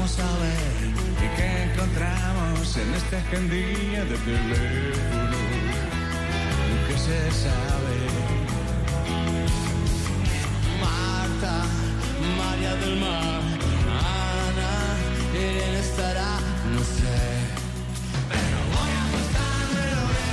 Vamos a ver qué encontramos en esta agendilla de teléfono. ¿Qué se sabe? Marta, María del Mar, Ana, Irene estará, no sé. Pero voy a pasármelo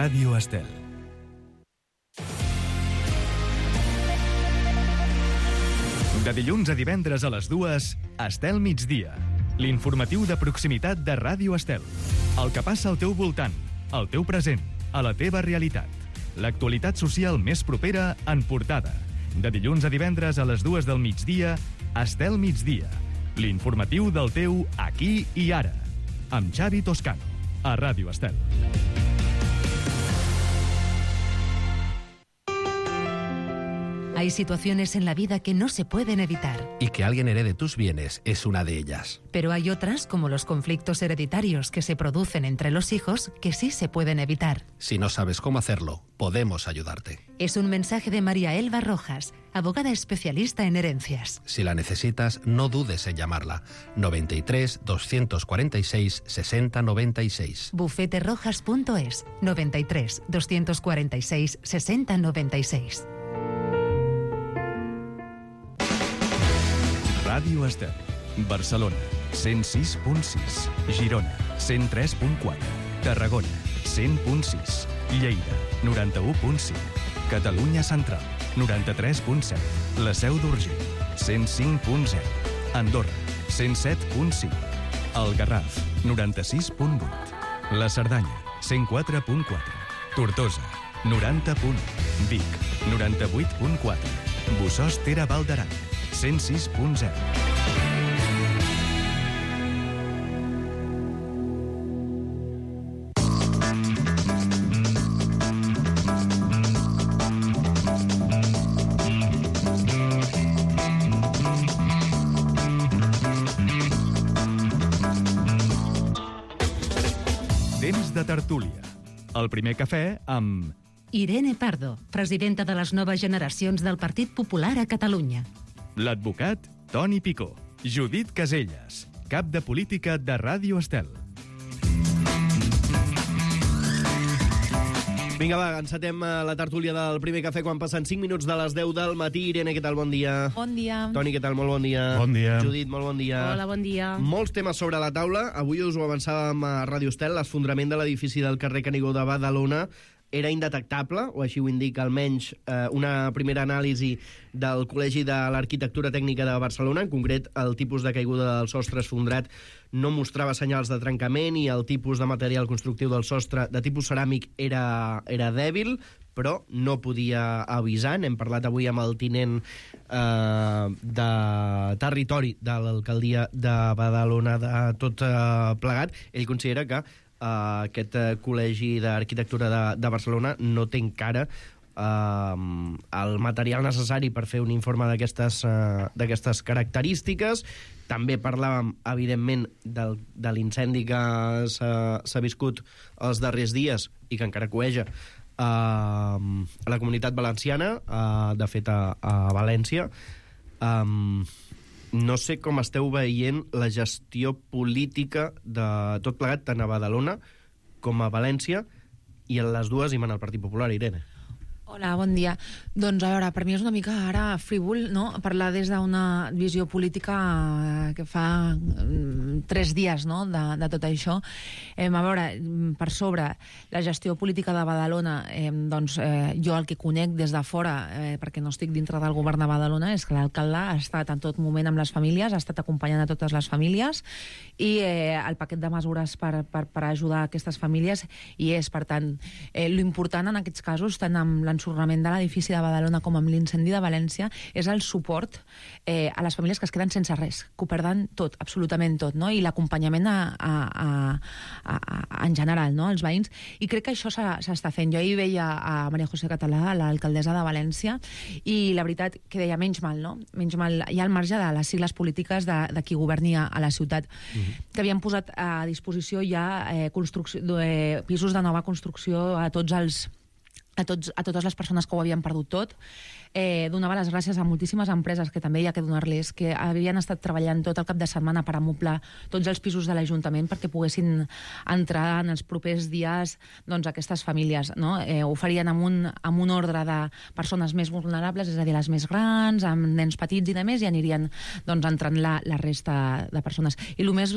Ràdio Estel. De dilluns a divendres a les 2, Estel Migdia. L'informatiu de proximitat de Ràdio Estel. El que passa al teu voltant, al teu present, a la teva realitat. L'actualitat social més propera en portada. De dilluns a divendres a les 2 del migdia, Estel Migdia. L'informatiu del teu aquí i ara. Amb Xavi Toscano, a Ràdio Estel. Hay situaciones en la vida que no se pueden evitar. Y que alguien herede tus bienes es una de ellas. Pero hay otras, como los conflictos hereditarios que se producen entre los hijos, que sí se pueden evitar. Si no sabes cómo hacerlo, podemos ayudarte. Es un mensaje de María Elba Rojas, abogada especialista en herencias. Si la necesitas, no dudes en llamarla. 93 246 60 96. Bufeterojas.es 93 246 60 96. Ràdio Estel. Barcelona, 106.6. Girona, 103.4. Tarragona, 100.6. Lleida, 91.5. Catalunya Central, 93.7. La Seu d'Urgell, 105.0. Andorra, 107.5. El Garraf, 96.8. La Cerdanya, 104.4. Tortosa, 90.1. Vic, 98.4. Bossòst Tere Val d'Aran, 106.0. Temps de tertúlia. El primer cafè amb... Irene Pardo, presidenta de les noves generacions del Partit Popular a Catalunya. L'advocat Toni Picó. Judit Caselles, cap de política de Ràdio Estel. Vinga, va, encetem la tertúlia del primer cafè quan passen 5 minuts de les 10 del matí. Irene, què tal? Bon dia. Bon dia. Toni, què tal? Molt bon dia. Bon dia. Judit, molt bon dia. Hola, bon dia. Molts temes sobre la taula. Avui us ho avançàvem a Ràdio Estel. L'esfondrament de l'edifici del carrer Canigó de Badalona era indetectable, o així ho indica almenys una primera anàlisi del Col·legi de l'Arquitectura Tècnica de Barcelona. En concret, el tipus de caiguda del sostre esfondrat no mostrava senyals de trencament i el tipus de material constructiu del sostre de tipus ceràmic era dèbil, però no podia avisar. N'hem parlat avui amb el tinent de territori de l'alcaldia de Badalona de tot plegat. Ell considera que aquest Col·legi d'Arquitectura de Barcelona no té encara el material necessari per fer un informe d'aquestes característiques. També parlàvem, evidentment, de l'incendi que s'ha viscut els darrers dies i que encara coeja a la Comunitat Valenciana, de fet a València. No sé com esteu veient la gestió política de tot plegat, tant a Badalona com a València, i en les dues hi mana el Partit Popular, Irene. Hola, bon dia. Doncs, a veure, per mi és una mica ara frívol, no?, parlar des d'una visió política que fa 3 dies, no?, de tot això. A veure, per sobre, la gestió política de Badalona, doncs jo el que conec des de fora, perquè no estic dintre del govern de Badalona, és que l'alcalde ha estat en tot moment amb les famílies, ha estat acompanyant a totes les famílies, i el paquet de mesures per ajudar aquestes famílies hi és. Per tant, l'important en aquests casos, tant amb l'ensorrament de l'edifici de Badalona com amb l'incendi de València, és el suport a les famílies que es queden sense res, que ho perden tot, absolutament tot, no?, i l'acompanyament en general, no?, als veïns. I crec que això s'està fent. Jo ahir veia a Maria José Català, l'alcaldessa de València, i la veritat que deia menys mal, no? Menys mal, hi ha al marge de les sigles polítiques de qui governi a la ciutat, que havien posat a disposició ja pisos de nova construcció a totes les persones que ho havien perdut tot. Donava les gràcies a moltíssimes empreses, que també hi ha que donar-les, que havien estat treballant tot el cap de setmana per amoblar tots els pisos de l'Ajuntament perquè poguessin entrar en els propers dies, doncs, aquestes famílies, no? Ho farien amb un ordre de persones més vulnerables, és a dir, les més grans, amb nens petits i demés, i anirien, doncs, entrant la resta de persones. I el més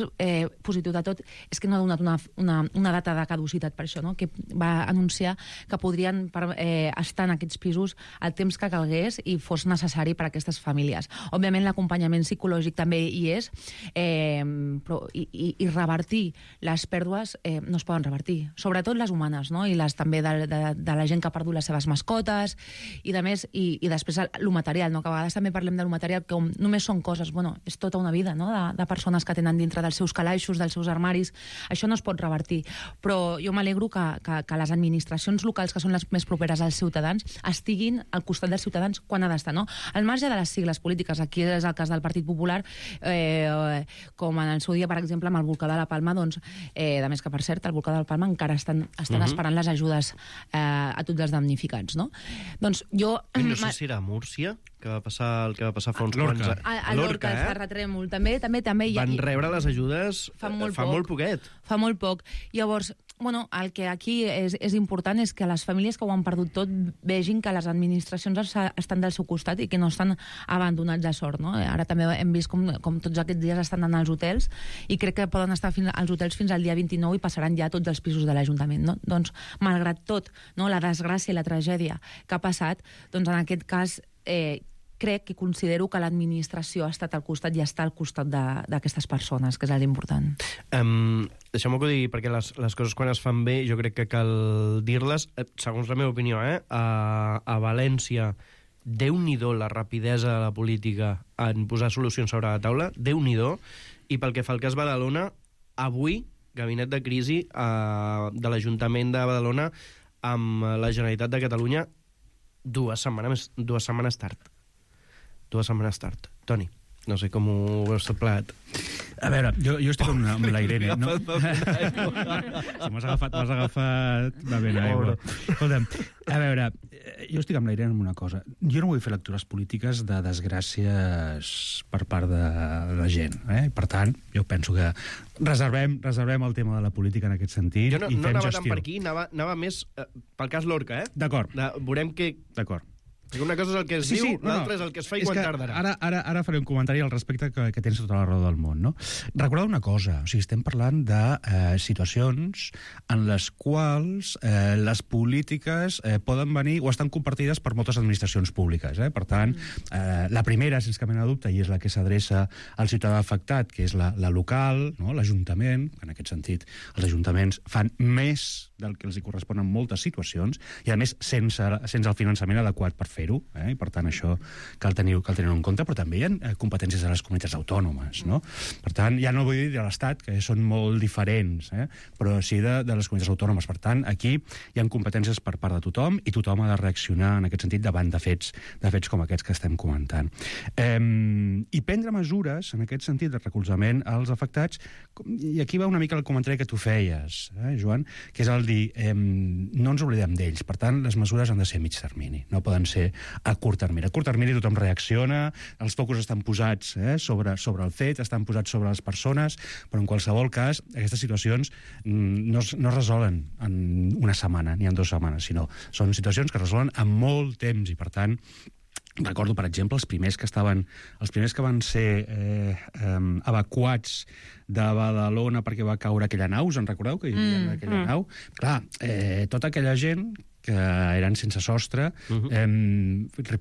positiu de tot és que no ha donat una data de caducitat per això, no?, que va anunciar que podrien estar en aquests pisos el temps que calgués i fos necessari per a aquestes famílies. Òbviament, l'acompanyament psicològic també hi és, però i revertir les pèrdues no es poden revertir, sobretot les humanes, no?, i les també de la gent que ha perdut les seves mascotes i de més, i després el material, no?, que a vegades també parlem del material com només són coses. Bueno, és tota una vida, no?, de persones que tenen dintre dels seus calaixos, dels seus armaris. Això no es pot revertir, però jo m'alegro que les administracions locals, que són les més properes als ciutadans, estiguin al costat dels ciutadans quan ha d'estar, no? Al marge de les sigles polítiques. Aquí és el cas del Partit Popular, com en el seu dia, per exemple, amb el volcà de la Palma, doncs, de més que, per cert, el volcà de la Palma encara estan esperant les ajudes a tots els damnificats, no? Doncs jo... No sé si era a Múrcia, que va passar fa uns quants anys. A Lorca, el terratrèmol. També. Van rebre les ajudes fa molt poquet. Fa molt poc. Llavors, bueno, el que aquí és important és que les famílies que ho han perdut tot vegin que les administracions estan del seu costat i que no estan abandonats a sort, no? Ara també hem vist com tots aquests dies estan anant als hotels, i crec que poden estar als hotels fins al dia 29 i passaran ja tots els pisos de l'Ajuntament, no? Doncs, malgrat tot, no?, la desgràcia i la tragèdia que ha passat, doncs en aquest cas crec i considero que l'administració ha estat al costat i està al costat d'aquestes persones, que és l'important. Deixeu-me que ho digui, perquè les coses quan es fan bé jo crec que cal dir-les, segons la meva opinió, a València, Déu-n'hi-do la rapidesa de la política en posar solucions sobre la taula, Déu-n'hi-do, i pel que fa al cas Badalona, avui, gabinet de crisi de l'Ajuntament de Badalona amb la Generalitat de Catalunya 2 setmanes tard. Toni, no sé com ho veus tot plegat. A veure, jo estic amb la Irene. No? Si m'has agafat... Va bé, aigua. Escolta'm, a veure, jo estic amb la Irene en una cosa. Jo no vull fer lectures polítiques de desgràcies per part de la gent. Per tant, jo penso que reservem el tema de la política en aquest sentit i fem gestió. Jo no anava tant per aquí, anava més pel cas Lorca, D'acord. Veurem que... D'acord. Perquè una cosa és el que es diu, l'altra és el que es fa i quan tardarà. Ara faré un comentari al respecte que tens tota la raó del món, no? Recordeu una cosa, estem parlant de situacions en les quals les polítiques poden venir o estan compartides per moltes administracions públiques. Per tant, la primera, sense cap mena de dubte, i és la que s'adreça al ciutadà afectat, que és la local, l'Ajuntament. En aquest sentit, els ajuntaments fan més del que els correspon en moltes situacions i, a més, sense el finançament adequat per fer-ho, i per tant això cal tenir-ho en compte, però també hi ha competències de les comunitats autònomes, no? Per tant, ja no vull dir de l'Estat, que són molt diferents, però sí de les comunitats autònomes. Per tant, aquí hi ha competències per part de tothom i tothom ha de reaccionar en aquest sentit davant de fets com aquests que estem comentant. I prendre mesures en aquest sentit de recolzament als afectats, i aquí va una mica el comentari que tu feies, Joan, que és el dir, no ens oblidem d'ells, per tant, les mesures han de ser a mig termini, no poden ser a curt termini. A curt termini tothom reacciona, els focus estan posats sobre el fet, estan posats sobre les persones, però en qualsevol cas, aquestes situacions no es resolen en una setmana, ni en 2 setmanes, sinó són situacions que es resolen en molt temps, i per tant, recordo, per exemple, els primers que van ser evacuats de Badalona perquè va caure aquella nau, us en recordeu que hi havia aquella nau? Clar, tota aquella gent que eren sense sostre,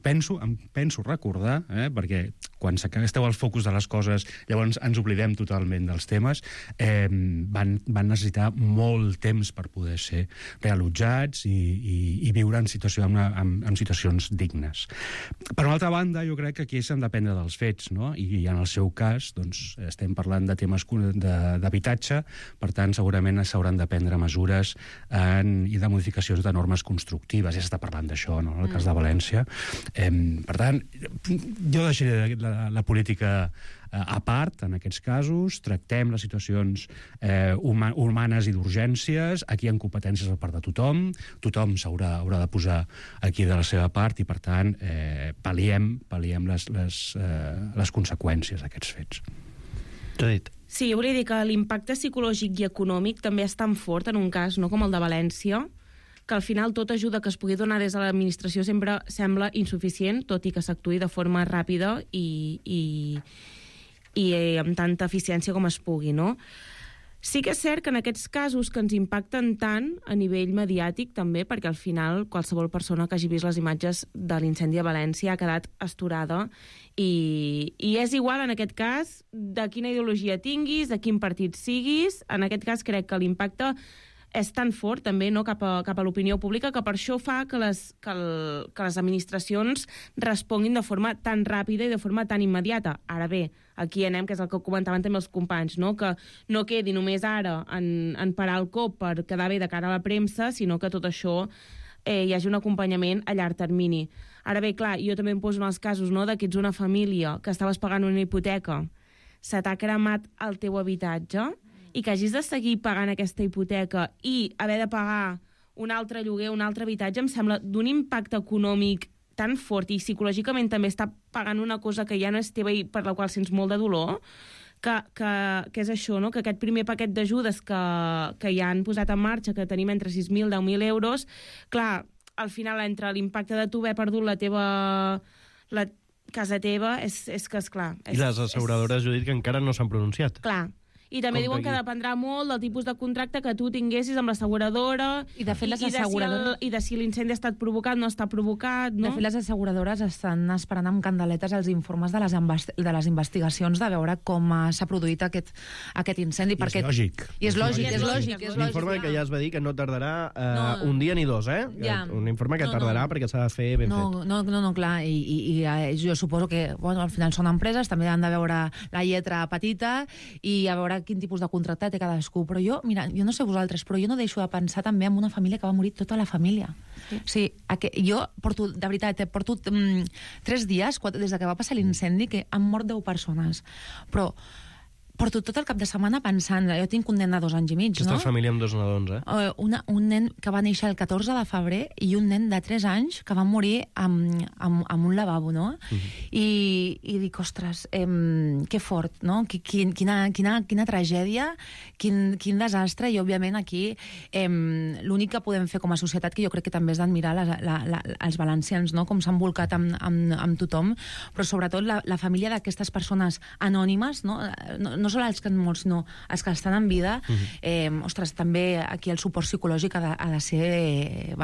penso recordar, perquè quan esteu al focus de les coses llavors ens oblidem totalment dels temes, van necessitar molt temps per poder ser reallotjats i viure en situacions dignes. Per una altra banda, jo crec que aquí s'han de prendre dels fets, no? I en el seu cas, doncs, estem parlant de temes d'habitatge, per tant, segurament s'hauran de prendre mesures i de modificacions de normes constructives. Ja s'està parlant d'això, no?, en el cas de València. Per tant, jo deixaré la política a part, en aquests casos, tractem les situacions humanes i d'urgències, aquí hi ha competències a part de tothom haurà de posar aquí de la seva part i, per tant, pal·liem les conseqüències d'aquests fets. Sí, jo volia dir que l'impacte psicològic i econòmic també és tan fort en un cas, no, com el de València, que al final tota ajuda que es pugui donar des de l'administració sempre sembla insuficient, tot i que s'actuï de forma ràpida i amb tanta eficiència com es pugui, no? Sí que és cert que en aquests casos que ens impacten tant a nivell mediàtic també, perquè al final qualsevol persona que hagi vist les imatges de l'incendi a València ha quedat astorada i és igual en aquest cas de quina ideologia tinguis, de quin partit siguis. En aquest cas crec que l'impacte és tan fort també, no, cap a l'opinió pública, que per això fa que les administracions responguin de forma tan ràpida i de forma tan immediata. Ara bé, aquí anem, que és el que comentaven també els companys, no? Que no quedi només ara en parar el cop per quedar bé de cara a la premsa, sinó que tot això hi hagi un acompanyament a llarg termini. Ara bé, clar, jo també em poso en els casos, no, que ets una família que estaves pagant una hipoteca, se t'ha cremat el teu habitatge i que hagis de seguir pagant aquesta hipoteca i haver de pagar un altre lloguer, un altre habitatge, em sembla d'un impacte econòmic tan fort i psicològicament també està pagant una cosa que ja no és teva i per la qual sents molt de dolor, que és això, no? Que aquest primer paquet d'ajudes que ja han posat en marxa, que tenim entre 6.000 i 10.000 euros, clar, al final entre l'impacte de tu haver perdut la casa teva, és que és clar. I les asseguradores, Judit, que encara no s'han pronunciat. Clar. I també diuen que dependrà molt del tipus de contracte que tu tinguessis amb l'asseguradora i de fet les asseguradores i de si l'incendi ha estat provocat o no està provocat, no? De fet, les asseguradores estan esperant amb candeletes els informes de les investigacions de veure com s'ha produït aquest incendi. I és lògic. L'informe que ja es va dir que no tardarà un dia ni dos, un informe que tardarà perquè s'ha de fer ben fet. No, clar, i jo suposo que al final són empreses, també han de veure la lletra petita i a veure quin tipus de contracte té cadascú, però jo no sé vosaltres, però jo no deixo de pensar també en una família que va morir tota la família. Sí. Jo porto 3 dies, des que va passar l'incendi, que han mort 10 persones, però porto tot el cap de setmana pensant, jo tinc un nen de 2 anys i mig, Aquesta no? família amb 2 nadons, Un nen que va néixer el 14 de febrer i un nen de 3 anys que va morir amb un lavabo, no? I dic, ostres, que fort, no? Quina tragèdia, quin desastre, i òbviament aquí l'únic que podem fer com a societat, que jo crec que també és d'admirar els valencians, no? Com s'han volcat amb tothom, però sobretot la família d'aquestes persones anònimes, no sols els que han mort, sinó els que estan en vida. Ostres, també aquí el suport psicològic ha de ser,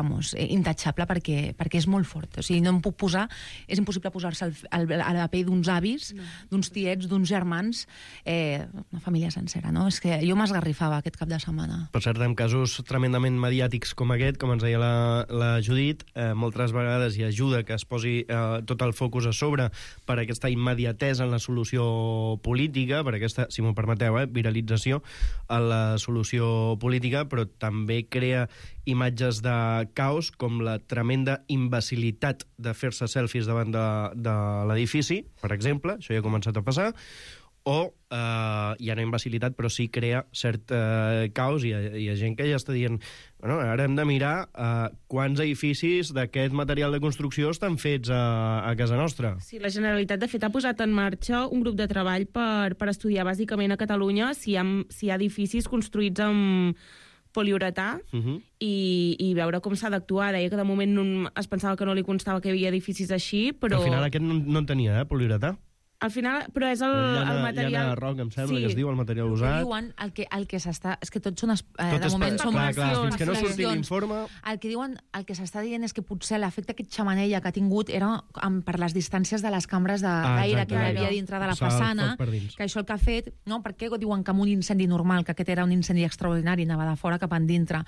intachable, perquè és molt fort. O sigui, no em puc posar, és impossible posar-se a la pell d'uns avis, d'uns tiets, d'uns germans, una família sencera, no? És que jo m'esgarrifava aquest cap de setmana. Per cert, en casos tremendament mediàtics com aquest, com ens deia la Judit, moltes vegades hi ajuda que es posi tot el focus a sobre per aquesta immediatesa en la solució política, per aquesta, si m'ho permeteu, viralització en la solució política, però també crea imatges de caos, com la tremenda imbecilitat de fer-se selfies davant de l'edifici, per exemple, això ja ha començat a passar, o hi ha una imbecilitat, però sí crea cert caos, i hi ha gent que ja està dient, bueno, ara hem de mirar quants edificis d'aquest material de construcció estan fets a casa nostra. Sí, la Generalitat, de fet, ha posat en marxa un grup de treball per estudiar bàsicament a Catalunya si hi ha edificis construïts amb poliuretà i veure com s'ha d'actuar. Deia que de moment es pensava que no li constava que hi havia edificis així, però... Al final aquest no en tenia, poliuretà. Al final, però és el material... Llana roc, em sembla, que es diu, el material usat. Diuen el que s'està... És que tots són... de moment són... Clar, fins que no surti l'informe... El que diuen, el que s'està dient és que potser l'efecte aquest xamanella que ha tingut era per les distàncies de les cambres d'aire que hi havia dintre de la façana, que això el que ha fet... No, perquè diuen que amb un incendi normal, que aquest era un incendi extraordinari, anava de fora cap endintre.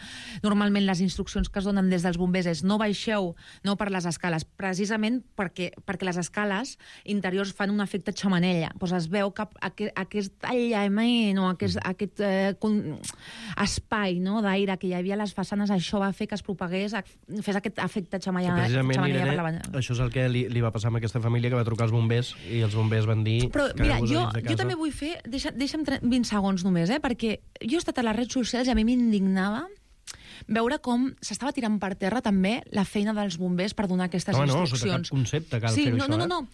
Normalment les instruccions que es donen des dels bombers és no baixeu, no per les escales, precisament perquè les escales interiors fan un efecte xamanella. Pues es veu que aquest aïllament o aquest espai, no, d'aire que hi havia a les façanes, això va fer que es propagués, fes aquest efecte xamanella. Precisament, Irene, això és el que li va passar amb aquesta família, que va trucar als bombers i els bombers van dir... Però mira, jo també vull fer... Deixa'm 20 segons només, perquè jo he estat a les redes socials i a mi m'indignava veure com s'estava tirant per terra també la feina dels bombers per donar aquestes instruccions. No, sota cap concepte cal fer això. No.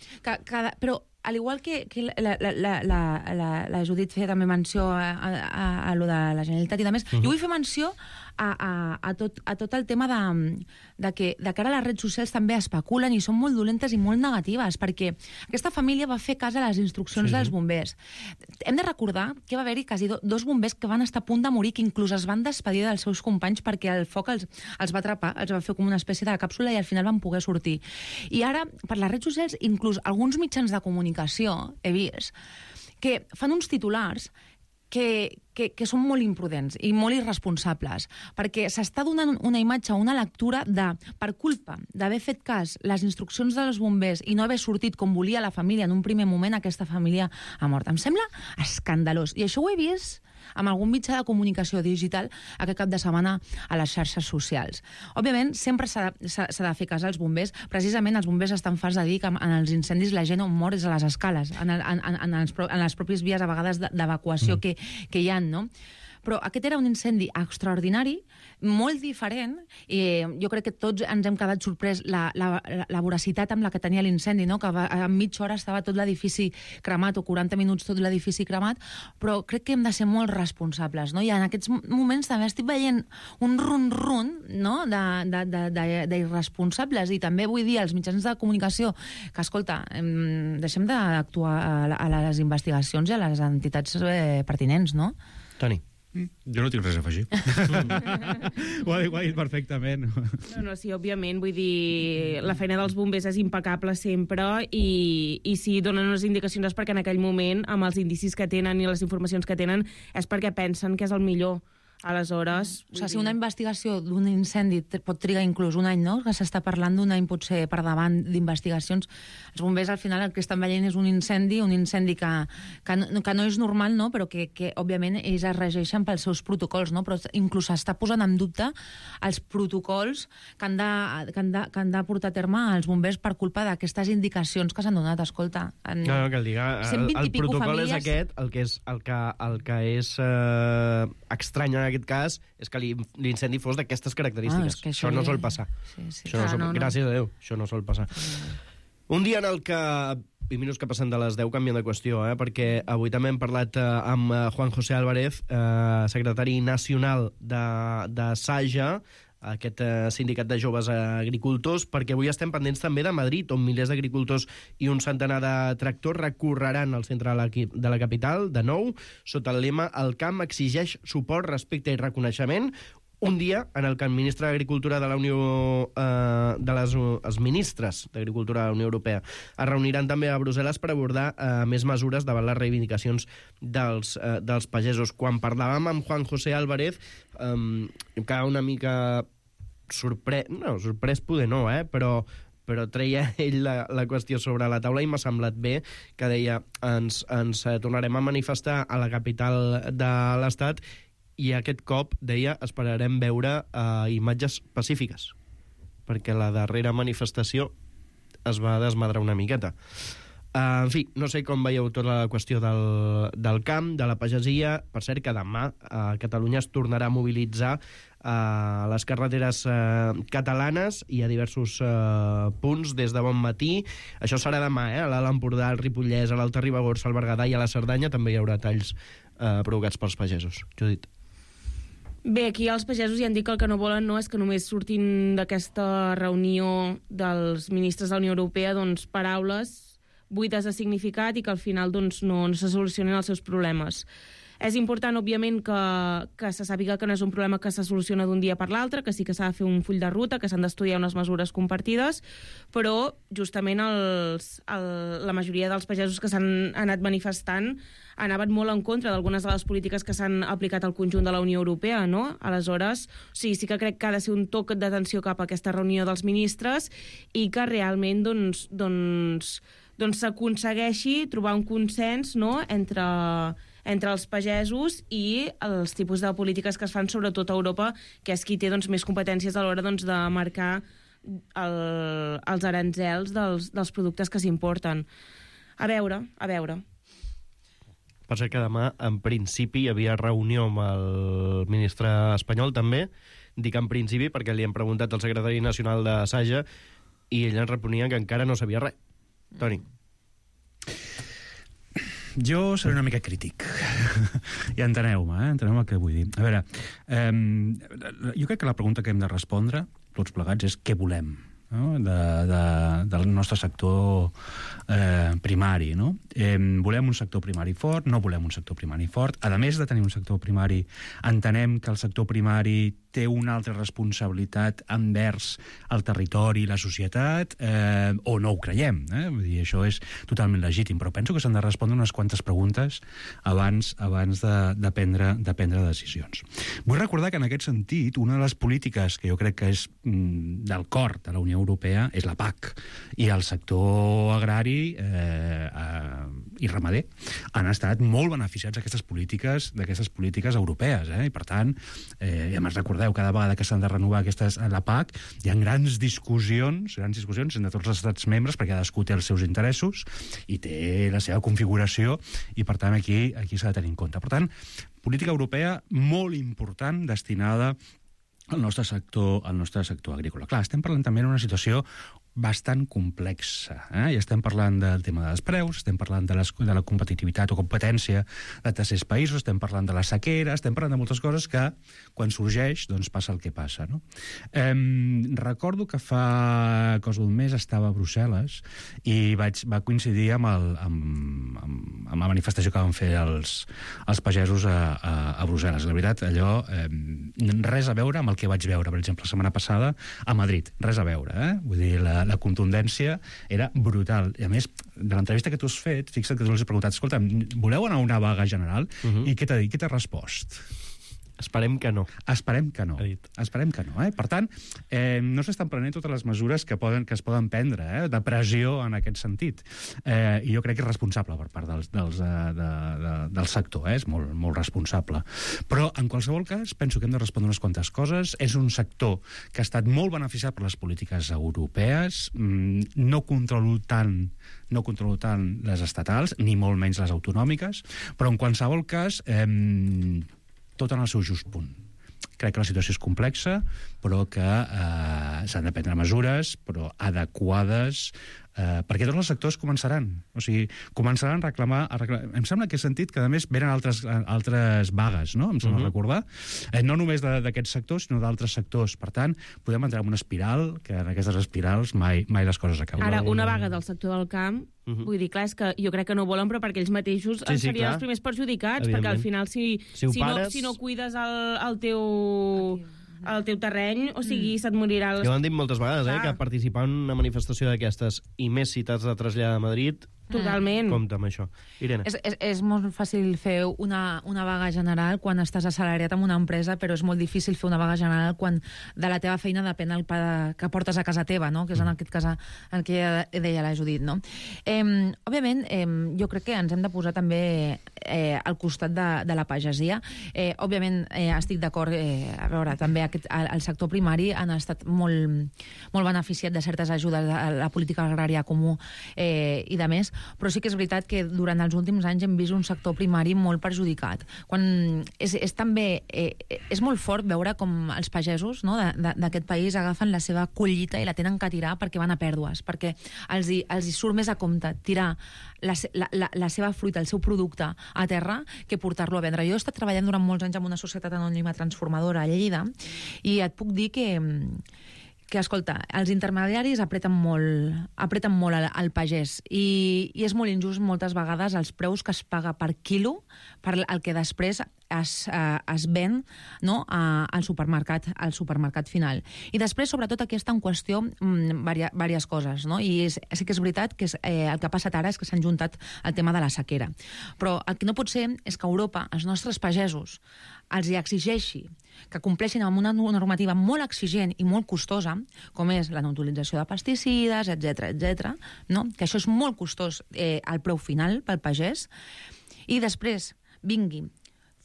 Però al igual que la Judit feia també menció a lo de la Generalitat i de més, jo vull fer menció a tot el tema de que ara les redes socials també especulen i són molt dolentes i molt negatives, perquè aquesta família va fer cas a les instruccions dels bombers. Hem de recordar que va haver-hi quasi 2 bombers que van estar a punt de morir, que inclús es van despedir dels seus companys perquè el foc els va atrapar, els va fer com una espècie de càpsula i al final van poder sortir. I ara, per les redes socials, inclús alguns mitjans de comunicació, he vist, que fan uns titulars que són molt imprudents i molt irresponsables, perquè s'està donant una imatge, una lectura de, per culpa d'haver fet cas les instruccions dels bombers i no haver sortit com volia la família en un primer moment, aquesta família ha mort. Em sembla escandalós. I això ho he vist amb algun mitjà de comunicació digital aquest cap de setmana a les xarxes socials. Òbviament, sempre s'ha de fer cas als bombers. Precisament, els bombers estan farts de dir que en els incendis la gent on mor és a les escales, en les pròpies vies, a vegades, d'evacuació que hi ha, no? Però aquest era un incendi extraordinari, molt diferent, i jo crec que tots ens hem quedat sorprès la voracitat amb la que tenia l'incendi, no? Que en mitja hora estava tot l'edifici cremat, o 40 minuts tot l'edifici cremat, però crec que hem de ser molt responsables, no? I en aquests moments també estic veient un run-run, no?, d'irresponsables, i també vull dir als mitjans de comunicació que, escolta, deixem d'actuar a les investigacions i a les entitats pertinents, no? Toni. Jo no tinc res a afegir. Ho ha dit perfectament. No, sí, òbviament, vull dir, la feina dels bombers és impecable sempre i si donen unes indicacions és perquè en aquell moment, amb els indicis que tenen i les informacions que tenen, és perquè pensen que és el millor. Aleshores... O sigui, si una investigació d'un incendi pot trigar inclús un any, no? Que s'està parlant d'un any potser per davant d'investigacions. Els bombers, al final, el que estan veient és un incendi que no és normal, no? Però que òbviament, ells es regeixen pels seus protocols, no? Però inclús s'està posant en dubte els protocols que han de portar a terme els bombers per culpa d'aquestes indicacions que s'han donat. Escolta... No, que el diga, el protocol és aquest, el que és estrany en aquest cas és que l'incendi fos d'aquestes característiques. Això no sol passar. Gràcies a Déu, això no sol passar. Un dia en el que... 20 minuts que passen de les 10 canvien de qüestió, perquè avui també hem parlat amb Juan José Álvarez, secretari nacional de Saja, aquest sindicat de joves agricultors, perquè avui estem pendents també de Madrid, on milers d'agricultors i un centenar de tractors recorreran el centre de la capital, de nou, sota el lema «El camp exigeix suport, respecte i reconeixement», un dia en el que el ministre d'Agricultura de la Unió... els ministres d'Agricultura de la Unió Europea es reuniran també a Brussel·les per abordar més mesures davant les reivindicacions dels pagesos. Quan parlàvem amb Juan José Álvarez, em quedava una mica sorprès poder no, però treia ell la qüestió sobre la taula i m'ha semblat bé, que deia ens tornarem a manifestar a la capital de l'Estat i aquest cop, deia, esperarem veure imatges pacífiques, perquè la darrera manifestació es va desmadrar una miqueta. En fi, no sé com veieu tota la qüestió del camp, de la pagesia. Per cert, que demà a Catalunya es tornarà a mobilitzar a les carreteres catalanes i a diversos punts des de bon matí. Això serà demà, a l'Alt Empordà, al Ripollès, a l'Alta Ribagorça, al Berguedà i a la Cerdanya també hi haurà talls provocats pels pagesos. Judit. Bé, aquí els pagesos ja han dit que el que no volen és que només surtin d'aquesta reunió dels ministres de la Unió Europea paraules buides de significat i que al final no se solucionen els seus problemes. És important, òbviament, que se sàpiga que no és un problema que se soluciona d'un dia per l'altre, que sí que s'ha de fer un full de ruta, que s'han d'estudiar unes mesures compartides, però justament la majoria dels pagesos que s'han anat manifestant anaven molt en contra d'algunes de les polítiques que s'han aplicat al conjunt de la Unió Europea, no? Aleshores, sí que crec que ha de ser un toc d'atenció cap a aquesta reunió dels ministres i que realment s'aconsegueixi trobar un consens, no?, entre els pagesos i els tipus de polítiques que es fan sobretot a Europa, que és qui té més competències a l'hora de marcar els aranzels dels productes que s'importen. A veure. Per cert que demà, en principi, hi havia reunió amb el ministre espanyol, també. Dic en principi perquè li hem preguntat al secretari nacional de Saja i ell ens responia que encara no sabia res. Toni. Jo seré una mica crític. I enteneu-me, enteneu el que vull dir. A veure, jo crec que la pregunta que hem de respondre, tots plegats, és què volem, no? del nostre sector primari, no? Volem un sector primari fort, no volem un sector primari fort. A més de tenir un sector primari, entenem que el sector primari té una altra responsabilitat envers el territori i la societat, o no ho creiem, Vull dir, això és totalment legítim, però penso que s'han de respondre unes quantes preguntes abans de prendre decisions. Vull recordar que en aquest sentit, una de les polítiques que jo crec que és del cor de la Unió Europea és la PAC, i el sector agrari i ramader han estat molt beneficiats d'aquestes polítiques europees, i per tant, ja me'n recordeu, cada vegada que s'han de renovar la PAC, hi ha grans discussions entre tots els estats membres, perquè cadascú té els seus interessos i té la seva configuració, i per tant aquí s'ha de tenir en compte. Per tant, política europea molt important destinada al nostre sector agrícola. Clar, estem parlant també d'una situació bastant complexa. I estem parlant del tema dels preus, estem parlant de la competitivitat o competència de tercers països, estem parlant de la sequera, estem parlant de moltes coses que, quan sorgeix, passa el que passa, no? Recordo que fa cosa d'un mes estava a Brussel·les i va coincidir amb la manifestació que van fer els pagesos a Brussel·les. La veritat, allò, res a veure amb el que vaig veure, per exemple, la setmana passada a Madrid. Res a veure, Vull dir, la contundència era brutal. I a més, de l'entrevista que tu has fet, fixa't que tu els has preguntat, escolta, voleu anar a una vaga general? I què t'ha dit? Què t'ha respost? Esperem que no. Esperem que no. Esperem que no. Per tant, no s'estan prenent totes les mesures que es poden prendre, de pressió en aquest sentit. I jo crec que és responsable per part del sector, és molt responsable. Però, en qualsevol cas, penso que hem de respondre unes quantes coses. És un sector que ha estat molt beneficiat per les polítiques europees. No controlo tant les estatals, ni molt menys les autonòmiques, però en qualsevol cas, tot en el seu just punt. Crec que la situació és complexa, però que s'han de prendre mesures, però adequades, perquè tots els sectors començaran. O sigui, començaran a reclamar... Em sembla que he sentit que, a més, venen altres vagues, no? Em sembla recordar. No només d'aquest sector, sinó d'altres sectors. Per tant, podem entrar en una espiral, que en aquestes espirals mai les coses acaben. Ara, una vaga del sector del camp, vull dir, clar, és que jo crec que no volen, però perquè ells mateixos serien els primers perjudicats, perquè al final, si no cuides el teu terreny, o sigui, se't morirà... Ja ho han dit moltes vegades, que participar en una manifestació d'aquestes, i més si t'has de traslladar a Madrid... Totalment. Compte amb això. Irene. És molt fàcil fer una vaga general quan estàs assalariat en una empresa, però és molt difícil fer una vaga general quan de la teva feina depèn el pa que portes a casa teva, no? Que és en aquest cas el que deia la Judit, no? Òbviament, jo crec que ens hem de posar també al costat de la pagesia. Òbviament, estic d'acord, a veure, també el sector primari han estat molt beneficiat de certes ajudes a la política agrària comú i de més, però sí que és veritat que durant els últims anys hem vist un sector primari molt perjudicat. És molt fort veure com els pagesos, no, d'aquest país agafen la seva collita i la tenen que tirar perquè van a pèrdues, perquè els hi surt més a compte tirar la seva fruita, el seu producte a terra, que portar-lo a vendre. Jo he estat treballant durant molts anys en una societat anònima transformadora a Lleida i et puc dir que escolta, els intermediaris apreten molt al pagès i és molt injust moltes vegades els preus que es paga per quilo per el que després es ven, no, al supermercat final. I després, sobretot, aquí està en qüestió diverses coses, no? I sí que és veritat que el que ha passat ara és que s'han juntat el tema de la sequera. Però el que no pot ser és que Europa, els nostres pagesos, els hi exigeixi que compleixin amb una normativa molt exigent i molt costosa, com és la no-utilització de pesticides, etc., no? Que això és molt costós al preu final pel pagès, i després vingui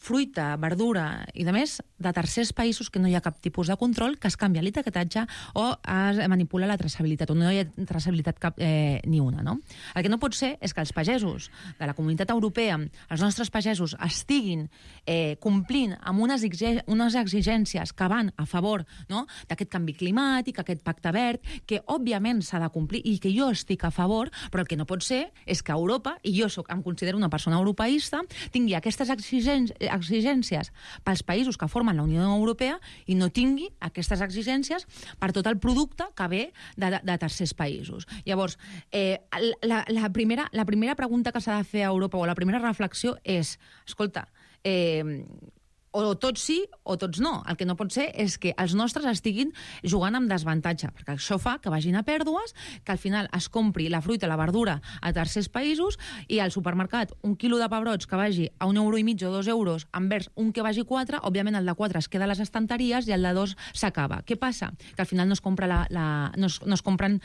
fruita, verdura i de més de tercers països que no hi ha cap tipus de control, que es canvia l'etiquetatge o es manipula la traçabilitat, o no hi ha traçabilitat cap ni una, no? El que no pot ser és que els pagesos de la Comunitat Europea, els nostres pagesos, estiguin complint amb unes exigències que van a favor, no, d'aquest canvi climàtic, aquest pacte verd, que òbviament s'ha de complir i que jo estic a favor, però el que no pot ser és que Europa, i jo em considero una persona europeista, tingui aquestes exigències pels països que formen la Unió Europea i no tingui aquestes exigències per tot el producte que ve de tercers països. Llavors, la primera pregunta que s'ha de fer a Europa, o la primera reflexió és, escolta, o tots sí o tots no. El que no pot ser és que els nostres estiguin jugant amb desavantatge, perquè això fa que vagin a pèrdues, que al final es compri la fruita i la verdura a tercers països i al supermercat un quilo de pebrots que vagi a 1,5 € o 2 euros envers un que vagi 4, òbviament el de 4 es queda a les estanteries i el de 2 s'acaba. Què passa? Que al final no es compren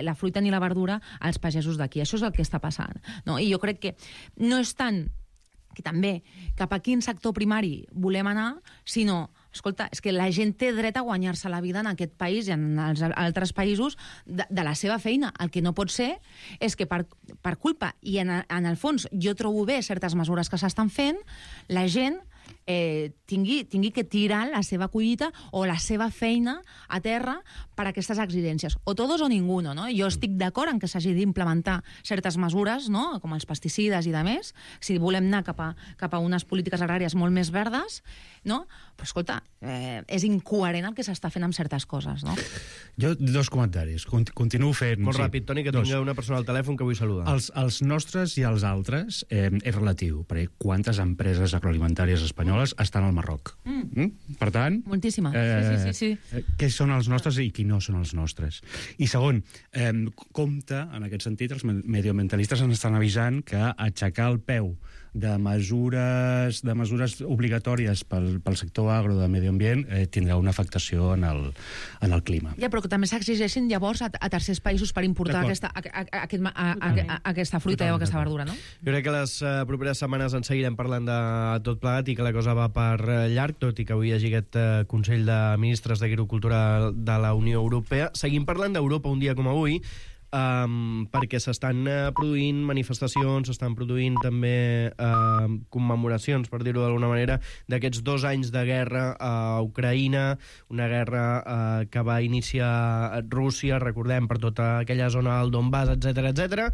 la fruita ni la verdura als pagesos d'aquí. Això és el que està passant, no? I jo crec que no és tant que també cap a quin sector primari volem anar, sinó, escolta, és que la gent té dret a guanyar-se la vida en aquest país i en els altres països de la seva feina. El que no pot ser és que per culpa, i en el fons jo trobo bé certes mesures que s'estan fent, la gent tingui que tirar la seva collita o la seva feina a terra per aquestes exigències. O todos o ninguno, no? Jo estic d'acord en que s'hagi d'implementar certes mesures, no?, com els pesticides i de més, si volem anar cap a unes polítiques agràries molt més verdes, no? Però, escolta, és incoherent el que s'està fent amb certes coses, no? Jo, dos comentaris. Continuo fent... Molt ràpid, Toni, que tinc una persona al telèfon que vull saludar. Els nostres i els altres és relatiu, perquè quantes empreses agroalimentàries espanyoles estan al Marroc. Per tant... Moltíssimes. Sí. Què són els nostres i qui no són els nostres? I segon, compte, en aquest sentit, els medioambientalistes ens estan avisant que aixecar el peu de mesures obligatòries pel sector agro de medi ambient tindrà una afectació en el clima. Ja, però que també s'exigeixin llavors a tercers països per importar aquesta fruita o aquesta verdura, no? Jo crec que les properes setmanes en seguirem parlant de tot plegat i que la cosa va per llarg, tot i que avui hi hagi aquest Consell de Ministres d'Agricultura de la Unió Europea. Seguim parlant d'Europa un dia com avui, perquè s'estan produint manifestacions, s'estan produint també commemoracions, per dir-ho d'alguna manera, d'aquests 2 anys de guerra a Ucraïna, una guerra que va iniciar Rússia, recordem, per tota aquella zona del Donbass, etc.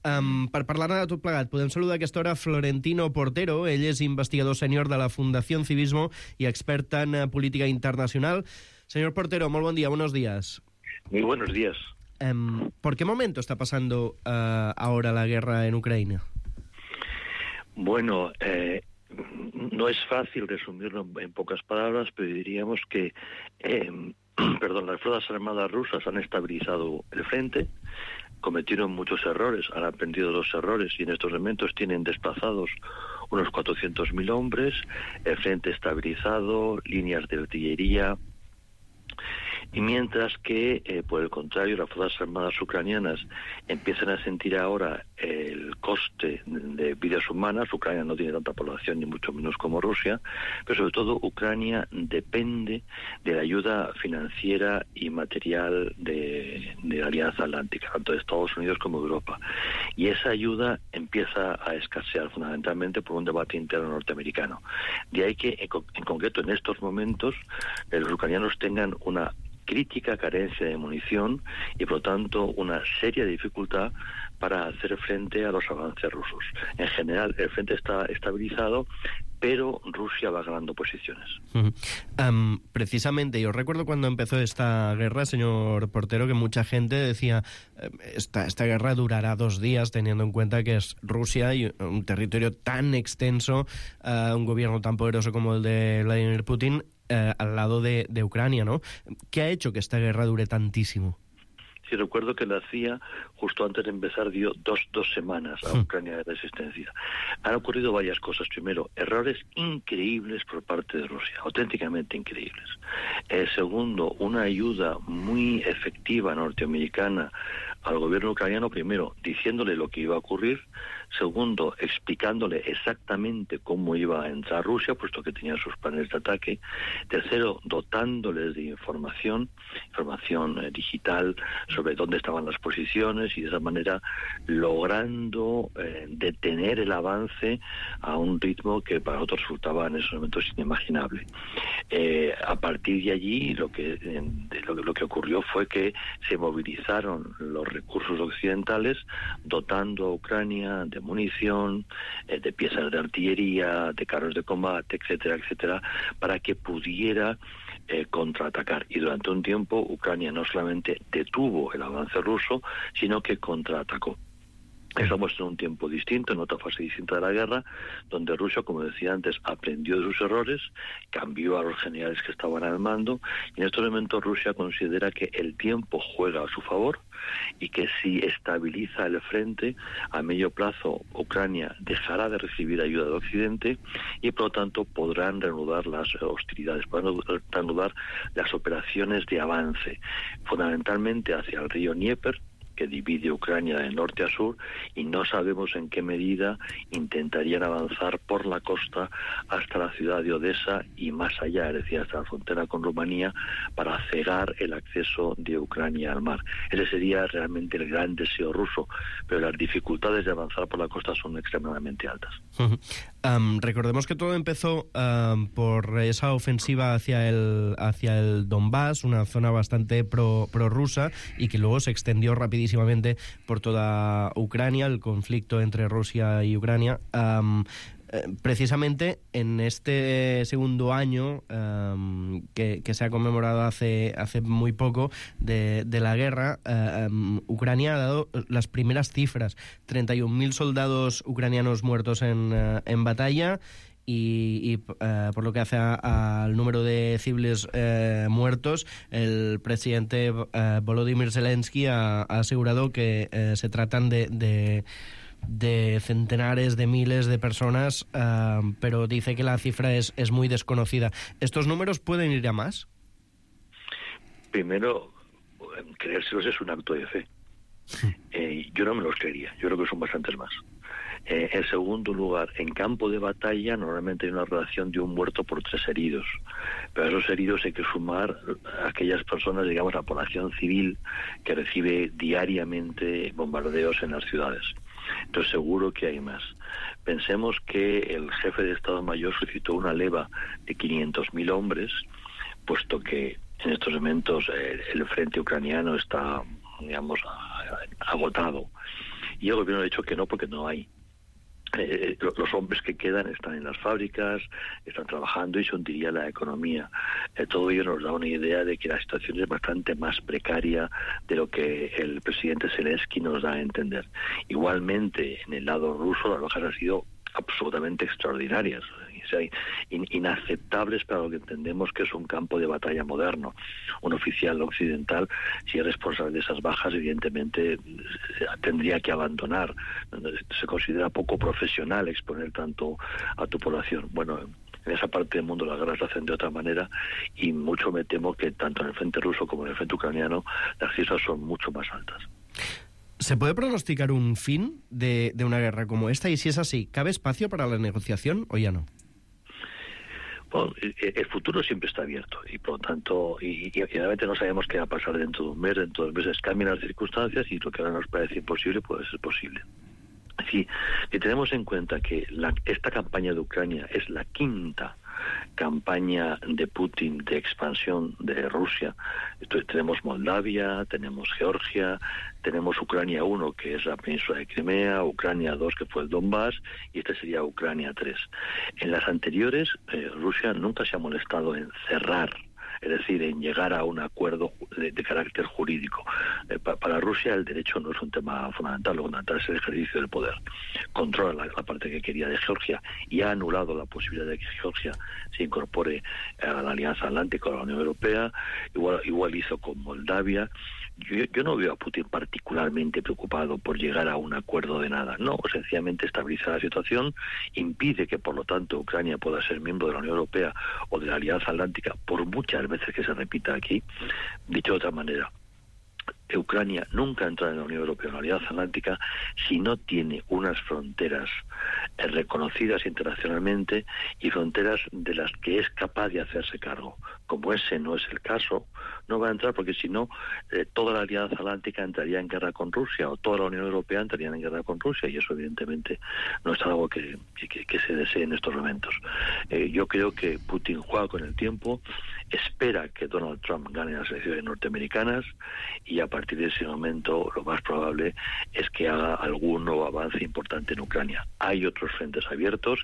Per parlar-ne de tot plegat, podem saludar a aquesta hora Florentino Portero. Ell és investigador sènior de la Fundación Civismo y experta en política internacional. Señor Portero, muy buen día, buenos días. Muy buenos días. ¿Por qué momento está pasando ahora la guerra en Ucrania? Bueno, no es fácil resumirlo en pocas palabras, pero diríamos que las fuerzas armadas rusas han estabilizado el frente, cometieron muchos errores, han aprendido los errores y en estos momentos tienen desplazados unos 400.000 hombres, el frente estabilizado, líneas de artillería, y mientras que, por el contrario, las fuerzas armadas ucranianas empiezan a sentir ahora el coste de vidas humanas. Ucrania no tiene tanta población, ni mucho menos como Rusia, pero sobre todo Ucrania depende de la ayuda financiera y material de la Alianza Atlántica, tanto de Estados Unidos como de Europa. Y esa ayuda empieza a escasear fundamentalmente por un debate interno norteamericano. De ahí que, en concreto, en estos momentos, los ucranianos tengan una crítica carencia de munición y, por lo tanto, una seria dificultad para hacer frente a los avances rusos. En general, el frente está estabilizado, pero Rusia va ganando posiciones. Precisamente, yo recuerdo cuando empezó esta guerra, señor Portero, que mucha gente decía esta guerra durará 2 días, teniendo en cuenta que es Rusia y un territorio tan extenso, un gobierno tan poderoso como el de Vladimir Putin, al lado de Ucrania, ¿no? ¿Qué ha hecho que esta guerra dure tantísimo? Sí, recuerdo que la CIA, justo antes de empezar, dio dos semanas a Ucrania de resistencia. Han ocurrido varias cosas. Primero, errores increíbles por parte de Rusia, auténticamente increíbles. Segundo, una ayuda muy efectiva norteamericana al gobierno ucraniano, primero, diciéndole lo que iba a ocurrir. Segundo, explicándole exactamente cómo iba a entrar Rusia, puesto que tenía sus planes de ataque. Tercero, dotándoles de información digital sobre dónde estaban las posiciones y de esa manera logrando detener el avance a un ritmo que para nosotros resultaba en esos momentos inimaginable. A partir de allí lo que ocurrió fue que se movilizaron los recursos occidentales dotando a Ucrania de munición, de piezas de artillería, de carros de combate, etcétera, etcétera, para que pudiera contraatacar. Y durante un tiempo Ucrania no solamente detuvo el avance ruso, sino que contraatacó. Estamos en un tiempo distinto, en otra fase distinta de la guerra, donde Rusia, como decía antes, aprendió de sus errores, cambió a los generales que estaban al mando, y en estos momentos Rusia considera que el tiempo juega a su favor y que si estabiliza el frente, a medio plazo Ucrania dejará de recibir ayuda de Occidente y por lo tanto podrán reanudar las hostilidades, podrán reanudar las operaciones de avance, fundamentalmente hacia el río Dnieper, que divide Ucrania de norte a sur, y no sabemos en qué medida intentarían avanzar por la costa hasta la ciudad de Odessa y más allá, es decir, hasta la frontera con Rumanía, para cegar el acceso de Ucrania al mar. Ese sería realmente el gran deseo ruso, pero las dificultades de avanzar por la costa son extremadamente altas. Recordemos que todo empezó por esa ofensiva hacia el Donbass, una zona bastante prorrusa, y que luego se extendió rapidísimamente por toda Ucrania, el conflicto entre Rusia y Ucrania. Precisamente en este segundo año que se ha conmemorado hace muy poco de la guerra, Ucrania ha dado las primeras cifras: 31.000 soldados ucranianos muertos en batalla, y por lo que hace al número de civiles muertos, el presidente Volodymyr Zelensky ha asegurado que se tratan de de centenares de miles de personas, pero dice que la cifra es muy desconocida. ¿Estos números pueden ir a más? Primero, creérselos es un acto de fe. Yo no me los creería, yo creo que son bastantes más. En segundo lugar, en campo de batalla normalmente hay una relación de un muerto por 3 heridos, pero a esos heridos hay que sumar a aquellas personas, digamos, la población civil que recibe diariamente bombardeos en las ciudades. Entonces seguro que hay más. Pensemos que el jefe de Estado Mayor solicitó una leva de 500.000 hombres, puesto que en estos momentos el frente ucraniano está, digamos, agotado. Y el gobierno ha dicho que no, porque no hay. Los hombres que quedan están en las fábricas, están trabajando y se hundiría la economía. Todo ello nos da una idea de que la situación es bastante más precaria de lo que el presidente Zelensky nos da a entender. Igualmente, en el lado ruso, las bajas han sido absolutamente extraordinarias, o sea, inaceptables para lo que entendemos que es un campo de batalla moderno. Un oficial occidental, si es responsable de esas bajas, evidentemente tendría que abandonar. Se considera poco profesional exponer tanto a tu población. Bueno, en esa parte del mundo las guerras se hacen de otra manera y mucho me temo que tanto en el frente ruso como en el frente ucraniano las cifras son mucho más altas. ¿Se puede pronosticar un fin de una guerra como esta? Y si es así, ¿cabe espacio para la negociación o ya no? Bueno, el futuro siempre está abierto y por lo tanto, y obviamente no sabemos qué va a pasar dentro de un mes, dentro de 2 meses cambian las circunstancias y lo que ahora nos parece imposible puede ser posible. Si tenemos en cuenta que esta campaña de Ucrania es la 5ª campaña de Putin de expansión de Rusia, entonces tenemos Moldavia, tenemos Georgia, tenemos Ucrania 1, que es la península de Crimea, Ucrania 2, que fue el Donbass, y este sería Ucrania 3. En las anteriores, Rusia nunca se ha molestado en cerrar, es decir, en llegar a un acuerdo de carácter jurídico. Para Rusia el derecho no es un tema fundamental, lo fundamental es el ejercicio del poder. Controla la parte que quería de Georgia y ha anulado la posibilidad de que Georgia se incorpore a la Alianza Atlántica o a la Unión Europea, igual hizo con Moldavia. Yo no veo a Putin particularmente preocupado por llegar a un acuerdo de nada. No, sencillamente estabiliza la situación, impide que por lo tanto Ucrania pueda ser miembro de la Unión Europea o de la Alianza Atlántica por muchas veces que se repita aquí. Dicho de otra manera, Ucrania nunca entra en la Unión Europea o en la Alianza Atlántica si no tiene unas fronteras reconocidas internacionalmente y fronteras de las que es capaz de hacerse cargo. Como ese no es el caso, no va a entrar porque si no, toda la Alianza Atlántica entraría en guerra con Rusia o toda la Unión Europea entraría en guerra con Rusia y eso evidentemente no es algo que se desee en estos momentos. Yo creo que Putin juega con el tiempo, espera que Donald Trump gane las elecciones norteamericanas y a partir de ese momento lo más probable es que haga algún nuevo avance importante en Ucrania. Hay otros frentes abiertos,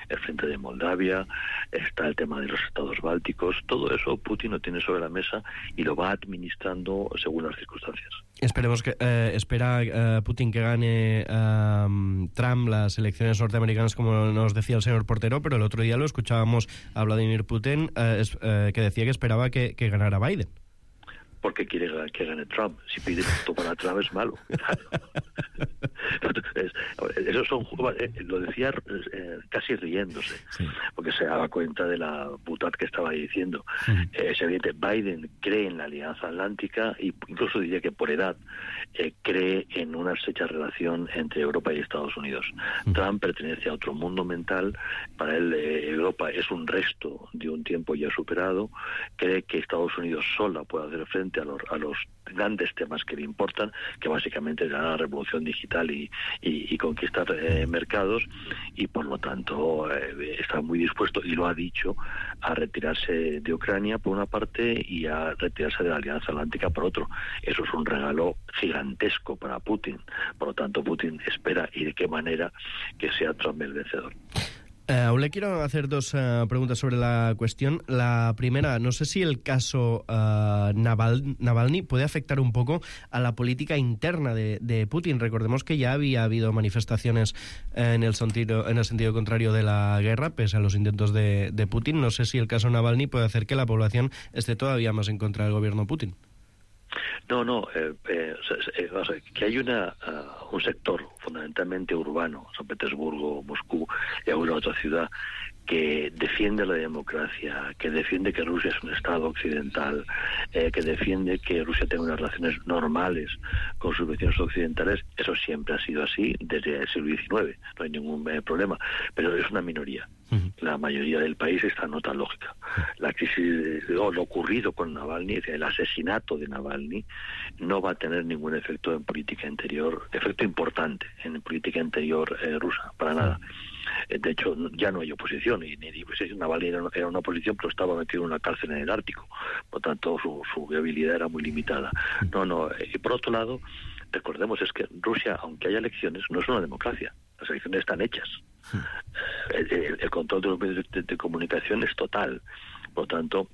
el frente de Moldavia, está el tema de los estados bálticos, todo eso Putin lo tiene sobre la mesa y lo va administrando según las circunstancias. Esperemos que espera Putin que gane Trump las elecciones norteamericanas, como nos decía el señor Portero, pero el otro día lo escuchábamos a Vladimir Putin que decía que esperaba que ganara Biden. Porque quiere que gane Trump. Si pide voto para Trump es malo. Eso son, lo decía casi riéndose, sí, porque se daba cuenta de la butad que estaba diciendo. Es evidente, Biden cree en la Alianza Atlántica e incluso diría que por edad cree en una estrecha relación entre Europa y Estados Unidos. Trump pertenece a otro mundo mental. Para él Europa es un resto de un tiempo ya superado. Cree que Estados Unidos sola puede hacer frente a los grandes temas que le importan, que básicamente es la revolución digital y conquistar mercados, y por lo tanto está muy dispuesto, y lo ha dicho, a retirarse de Ucrania por una parte y a retirarse de la Alianza Atlántica por otro. Eso es un regalo gigantesco para Putin. Por lo tanto, Putin espera, y de qué manera, que sea Trump el vencedor. Aún le quiero hacer 2 preguntas sobre la cuestión. La primera, no sé si el caso Navalny puede afectar un poco a la política interna de Putin. Recordemos que ya había habido manifestaciones en el sentido contrario de la guerra, pese a los intentos de Putin. No sé si el caso Navalny puede hacer que la población esté todavía más en contra del gobierno Putin. No, que hay un sector fundamentalmente urbano, San Petersburgo, Moscú y alguna otra ciudad, que defiende la democracia, que defiende que Rusia es un Estado occidental, que defiende que Rusia tenga unas relaciones normales con sus vecinos occidentales. Eso siempre ha sido así desde el siglo XIX, no hay ningún problema, pero es una minoría. La mayoría del país está en otra lógica. La crisis, lo ocurrido con Navalny, el asesinato de Navalny, no va a tener ningún efecto en política interior, efecto importante en política interior rusa, para nada. De hecho, ya no hay oposición, y ni oposición. Navalny era una oposición, pero estaba metido en una cárcel en el Ártico, por tanto su viabilidad era muy limitada. Y por otro lado, recordemos, es que Rusia, aunque haya elecciones, no es una democracia. Las elecciones están hechas. El control de los medios de comunicación es total. Por tanto,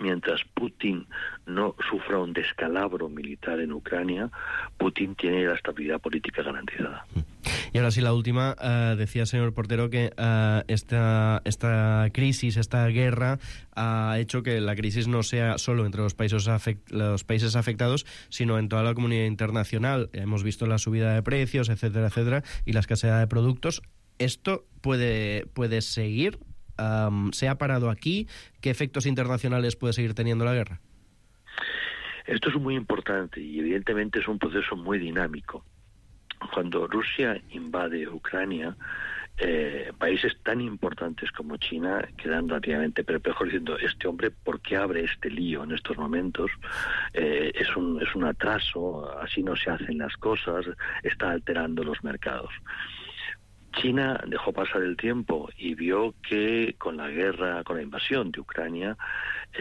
mientras Putin no sufra un descalabro militar en Ucrania, Putin tiene la estabilidad política garantizada. Y ahora sí, la última. Decía, señor Portero, que esta crisis, esta guerra, ha hecho que la crisis no sea solo entre los países afectados, sino en toda la comunidad internacional. Hemos visto la subida de precios, etcétera, etcétera, y la escasez de productos. ¿Esto puede seguir? ¿Se ha parado aquí? ¿Qué efectos internacionales puede seguir teniendo la guerra? Esto es muy importante y evidentemente es un proceso muy dinámico. Cuando Rusia invade Ucrania, países tan importantes como China quedan relativamente perplejos diciendo, este hombre, ¿por qué abre este lío en estos momentos? Es un atraso, así no se hacen las cosas, está alterando los mercados. China dejó pasar el tiempo y vio que con la guerra, con la invasión de Ucrania,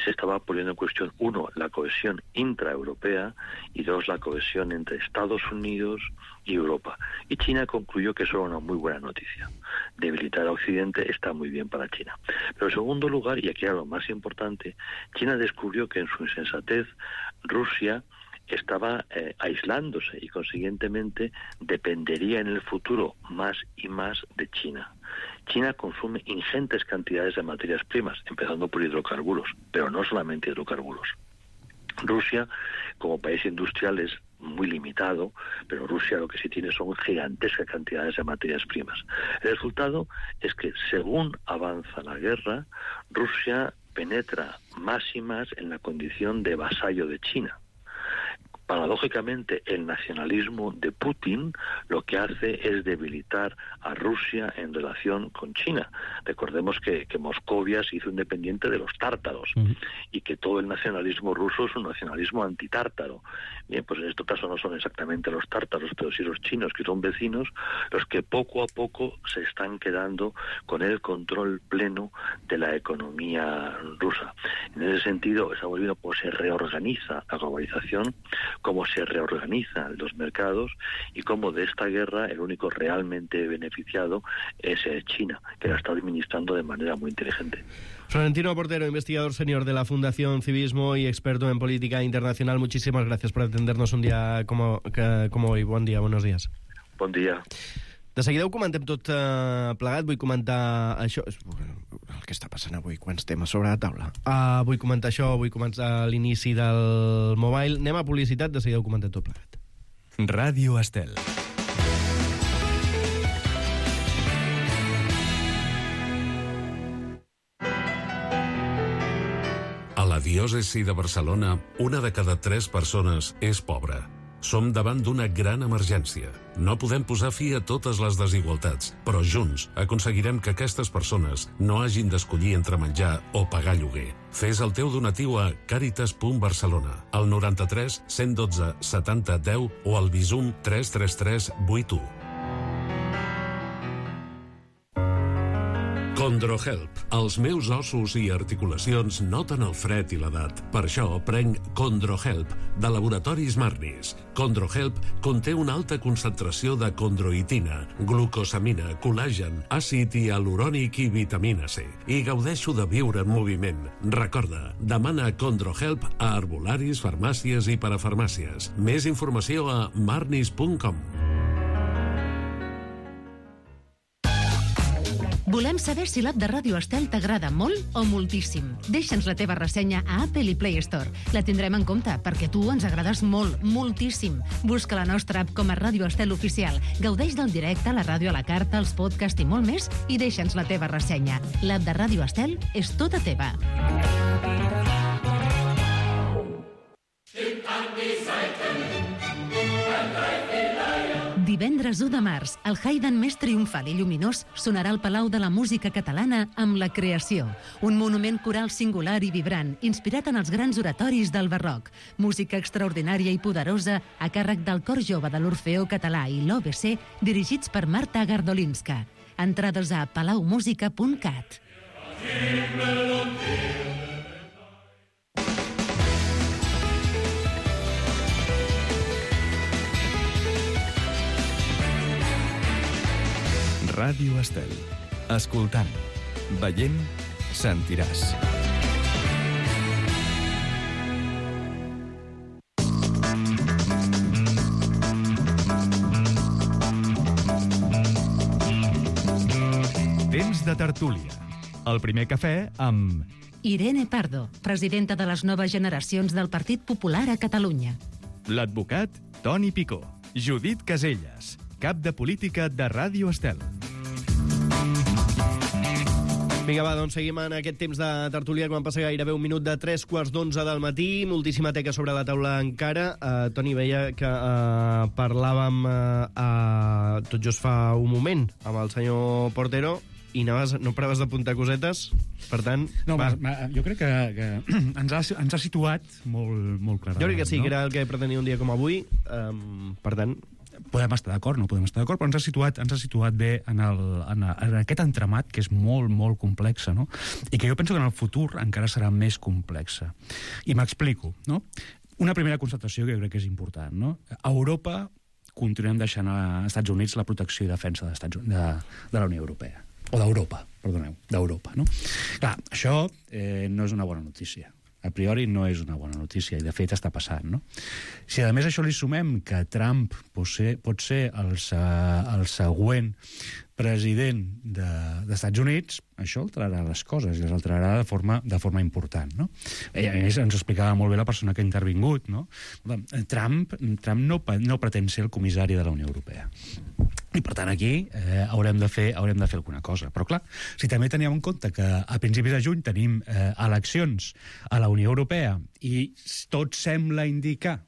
se estaba poniendo en cuestión, uno, la cohesión intraeuropea y dos, la cohesión entre Estados Unidos y Europa. Y China concluyó que eso era una muy buena noticia. Debilitar a Occidente está muy bien para China. Pero en segundo lugar, y aquí era lo más importante, China descubrió que en su insensatez Rusia estaba aislándose y consiguientemente dependería en el futuro más y más de China. China consume ingentes cantidades de materias primas, empezando por hidrocarburos, pero no solamente hidrocarburos. Rusia, como país industrial, es muy limitado, pero Rusia lo que sí tiene son gigantescas cantidades de materias primas. El resultado es que, según avanza la guerra, Rusia penetra más y más en la condición de vasallo de China. Paradójicamente, el nacionalismo de Putin lo que hace es debilitar a Rusia en relación con China. Recordemos que Moscovia se hizo independiente de los tártaros y que todo el nacionalismo ruso es un nacionalismo antitártaro. Bien, pues en este caso no son exactamente los tártaros, pero sí los chinos, que son vecinos, los que poco a poco se están quedando con el control pleno de la economía rusa. En ese sentido, estamos viendo cómo se reorganiza la globalización, cómo se reorganizan los mercados y cómo de esta guerra el único realmente beneficiado es China, que la está administrando de manera muy inteligente. Florentino Portero, investigador senior de la Fundación Civismo y experto en política internacional, muchísimas gracias por atendernos un dia como hoy. Bon dia, buenos días. Bon dia. De seguida ho comentem tot plegat. Vull comentar això. El que està passant avui, quants temes sobre la taula. Vull comentar això, vull començar l'inici del Mobile. Anem a publicitat, de seguida ho comentem tot plegat. Ràdio Estel. A la diòcesi de Barcelona, una de cada 3 persones és pobra. Som davant d'una gran emergència. No podem posar fi a totes les desigualtats, però junts aconseguirem que aquestes persones no hagin d'escollir entre menjar o pagar lloguer. Fes el teu donatiu a caritas.barcelona, al 93 112 70 10 o al Bizum 333 81. Condrohelp. Els meus ossos i articulacions noten el fred i l'edat. Per això prenc Condrohelp, de Laboratoris Marnis. Condrohelp conté una alta concentració de condroitina, glucosamina, col·làgen, àcid hialurònic i vitamina C. I gaudeixo de viure en moviment. Recorda, demana Condrohelp a herbolaris, farmàcies i parafarmàcies. Més informació a marnis.com. Volem saber si l'app de Ràdio Estel t'agrada molt o moltíssim. Deixa'ns la teva ressenya a Apple i Play Store. La tindrem en compte, perquè tu ens agrades molt, moltíssim. Busca la nostra app com a Ràdio Estel Oficial. Gaudeix del directe, la ràdio a la carta, els podcasts i molt més, i deixa'ns la teva ressenya. L'app de Ràdio Estel és tota teva. Divendres 1 de març, el Haydn més triomfal i lluminós sonarà al Palau de la Música Catalana amb La Creació, un monument coral singular i vibrant, inspirat en els grans oratoris del barroc. Música extraordinària i poderosa a càrrec del Cor Jove de l'Orfeó Català i l'OBC, dirigits per Marta Gardolinska. Entrades a palaumusica.cat. Ràdio Estel. Escoltant, veient, sentiràs. Temps de tertúlia. El primer cafè amb... Irene Pardo, presidenta de les noves generacions del Partit Popular a Catalunya. L'advocat Toni Picó. Judit Caselles, cap de política de Ràdio Estel. Vinga, va, doncs seguim en aquest temps de tertúlia, quan passa gairebé un minut de 3:45 del matí. Moltíssima teca sobre la taula encara. Toni, veia que parlàvem tot just fa un moment amb el senyor Portero i no paraves d'apuntar cosetes, per tant... No, jo crec que ens ha situat molt clarament. Jo crec que sí, no? Que era el que pretenia un dia com avui, per tant... Podem estar d'acord, no podem estar d'acord, però ens ha situat bé en aquest entramat que és molt complex, no? I que jo penso que en el futur encara serà més complex. I m'explico, no? Una primera constatació que jo crec que és important, no? A Europa continuem deixant als Estats Units la protecció i defensa de la Unió Europea. O d'Europa, perdoneu, d'Europa, no? Clar, això no és una bona notícia. A priori no és una bona notícia, i de fet està passant, no? Si a més això li sumem que Trump pot ser el següent president dels Estats Units, això alterarà les coses, i les alterarà de forma important, no? I a més ens explicava molt bé la persona que ha intervingut, no? Trump no pretén ser el comissari de la Unió Europea. I, per tant, aquí haurem de fer alguna cosa. Però, clar, si també teníem en compte que a principis de juny tenim eleccions a la Unió Europea i tot sembla indicar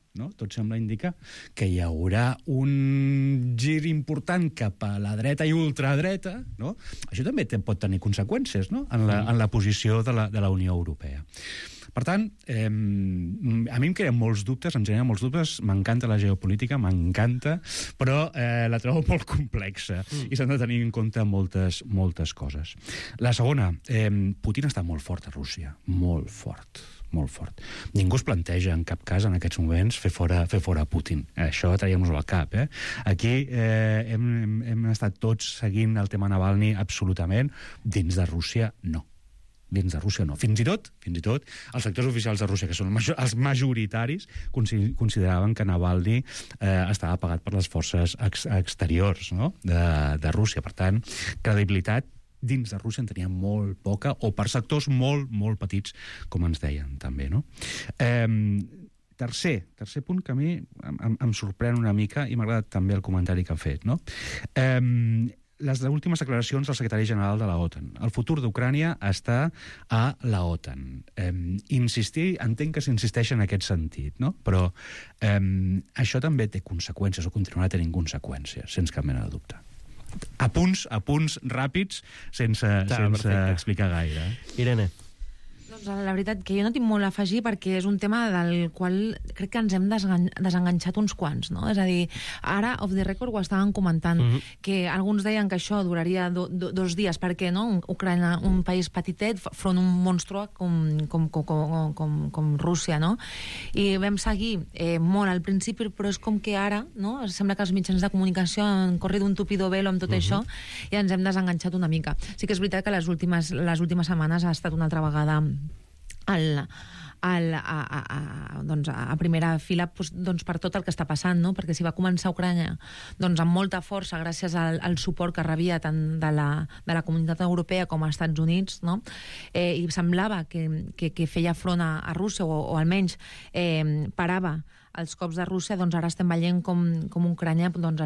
que hi haurà un gir important cap a la dreta i ultradreta, no? Això també pot tenir conseqüències, no? en la posició de la Unió Europea. Per tant, a mi em creen molts dubtes, em generen molts dubtes, m'encanta la geopolítica, m'encanta, però la trobo molt complexa i s'han de tenir en compte moltes coses. La segona, Putin està molt fort a Rússia, molt fort. Ningú es planteja en cap cas en aquests moments fer fora Putin. Això traiem-nos al cap. Aquí hem estat tots seguint el tema Navalny absolutament. Dins de Rússia, no. Fins i tot els sectors oficials de Rússia, que són els majoritaris, consideraven que Navalny estava pagat per les forces exteriors, no? de Rússia. Per tant, credibilitat dins de Rússia en tenia molt poca, o per sectors molt petits, com ens deien també, no? Tercer punt que a mi em sorprèn una mica, i m'ha agradat també el comentari que ha fet, no? Les últimes declaracions del secretari general de la OTAN. El futur d'Ucrània està a la OTAN. Entenc que s'insisteix en aquest sentit, no? Però això també té conseqüències, o continuarà tenint conseqüències, sense cap mena de dubte. A punts ràpids, sense explicar gaire. Irene. Doncs la veritat que jo no tinc molt a afegir, perquè és un tema del qual crec que ens hem desenganxat uns quants, no? És a dir, ara, off the record, ho estàvem comentant, que alguns deien que això duraria 2 dies, perquè, no? Ucraïna, un país petitet, front un monstru com Rússia, no? I vam seguir molt al principi, però és com que ara, no? Sembla que els mitjans de comunicació han corrit un tupido velo amb tot això, i ens hem desenganxat una mica. Sí que és veritat que les últimes setmanes ha estat una altra vegada a primera fila doncs, per tot el que està passant, no? Perquè si va començar Ucrània doncs, amb molta força gràcies al suport que rebia tant de la comunitat europea com als Estats Units, no? I semblava que feia front a Rússia o almenys parava els cops de Rússia, doncs ara estem veient com Ucrània doncs,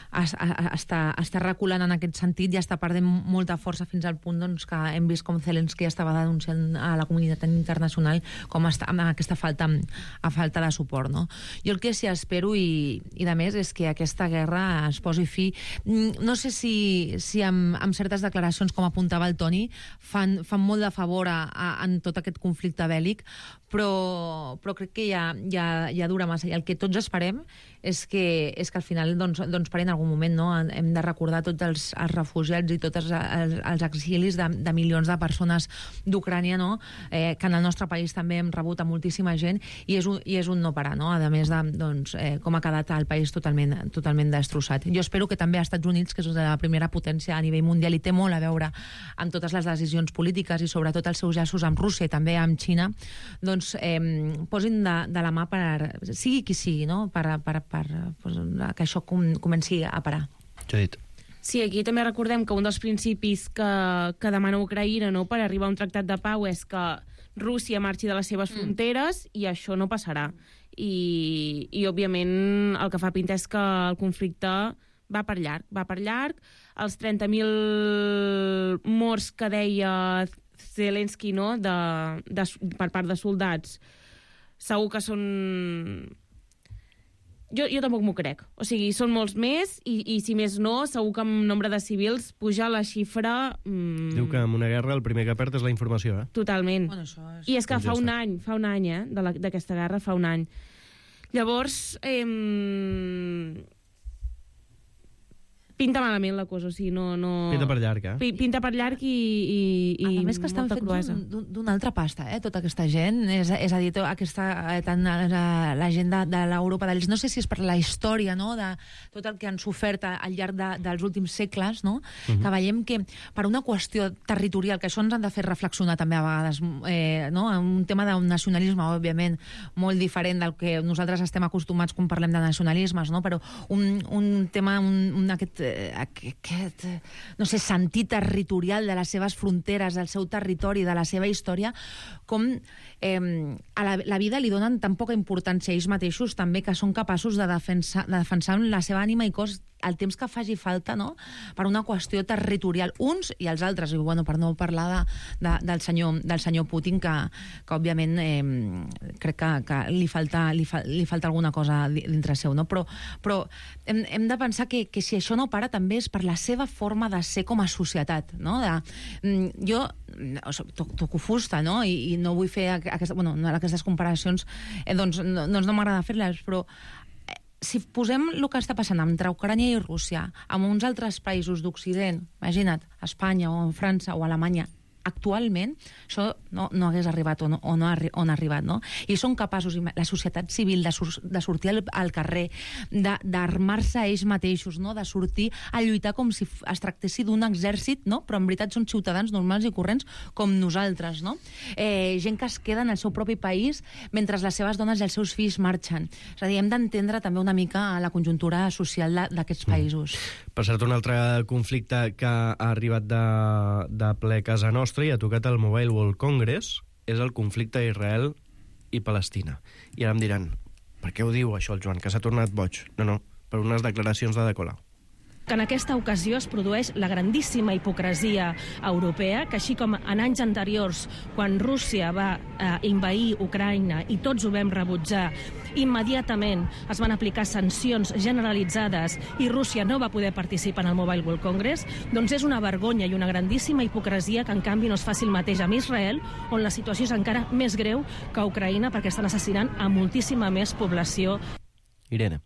està reculant en aquest sentit i està perdent molta força fins al punt doncs, que hem vist com Zelensky estava denunciant a la comunitat internacional com està amb aquesta falta de suport, no? Jo el que sí espero i de més és que aquesta guerra es posi fi. No sé si amb certes declaracions, com apuntava el Toni, fan molt de favor en tot aquest conflicte bèl·lic, però crec que ja dura massa i el que tots esperem és que al final doncs pari en algun moment, no? Hem de recordar tots els refugiats i tots els exilis de milions de persones d'Ucrània, no? Que en el nostre país també hem rebut a moltíssima gent i és un no parar, no? A més de com ha quedat el país totalment destrossat. Jo espero que també als Estats Units, que és la primera potència a nivell mundial i té molt a veure amb totes les decisions polítiques i sobretot els seus llaços amb Rússia i també amb Xina, doncs posin de la mà sigui qui sigui, no? Que això comenci a parar. Judit. Sí, aquí també recordem que un dels principis que demana Ucraïna, no, per arribar a un tractat de pau és que Rússia marxi de les seves fronteres i això no passarà. I òbviament, el que fa pinta és que el conflicte va per llarg. Els 30.000 morts que deia Zelensky, no, per part de soldats, segur que són... Jo tampoc m'ho crec. O sigui, són molts més i si més no, segur que amb nombre de civils puja la xifra... Diu que en una guerra el primer que perd és la informació, Totalment. Bueno, I és que fa un any, d'aquesta guerra fa un any. Llavors, pinta malament la cosa, o sigui, no... Pinta per llarg, Pinta per llarg i a més que estan fets d'una altra pasta, tota aquesta gent. És a dir, tant la gent de l'Europa de l'Est, no sé si és per la història, no?, de tot el que han sofert al llarg dels últims segles, no?, que veiem que per una qüestió territorial, que això ens han de fer reflexionar també a vegades, no?, un tema d'un nacionalisme, òbviament, molt diferent del que nosaltres estem acostumats quan parlem de nacionalismes, no?, però un tema, aquest no sé, sentit territorial de les seves fronteres, del seu territori, de la seva història, com a la vida li donen tan poca importància a ells mateixos, també, que són capaços de defensar la seva ànima i cos el temps que faci falta, no?, per una qüestió territorial, uns i els altres, i bueno, per no parlar del senyor Putin, que òbviament crec que li falta alguna cosa dintre seu, no? Però hem de pensar que si això no para també és per la seva forma de ser com a societat, no? Jo toco fusta, no?, i no vull fer aquestes comparacions, doncs no m'agrada fer-les, però si posem el que està passant entre Ucrània i Rússia amb uns altres països d'Occident, imagina't, Espanya o França o Alemanya, actualment això no hagués arribat o no ha arribat, no? I són capaços, la societat civil, de sortir al carrer, d'armar-se ells mateixos, no?, de sortir a lluitar com si es tractessi d'un exèrcit, no?, però en veritat són ciutadans normals i corrents com nosaltres, no? Gent que es queda en el seu propi país mentre les seves dones i els seus fills marxen. És a dir, hem d'entendre també una mica la conjuntura social d'aquests països. Per cert, un altre conflicte que ha arribat de ple a casa nostra i ha tocat el Mobile World Congress és el conflicte Israel i Palestina. I ara em diran, per què ho diu això el Joan, que s'ha tornat boig? No, per unes declaracions de Colau. Que en aquesta ocasió es produeix la grandíssima hipocresia europea, que així com en anys anteriors, quan Rússia va invair Ucraïna i tots ho vam rebutjar, immediatament es van aplicar sancions generalitzades i Rússia no va poder participar en el Mobile World Congress, doncs és una vergonya i una grandíssima hipocresia que en canvi no es faci el mateix amb Israel, on la situació és encara més greu que a Ucraïna perquè estan assassinant a moltíssima més població. Irene.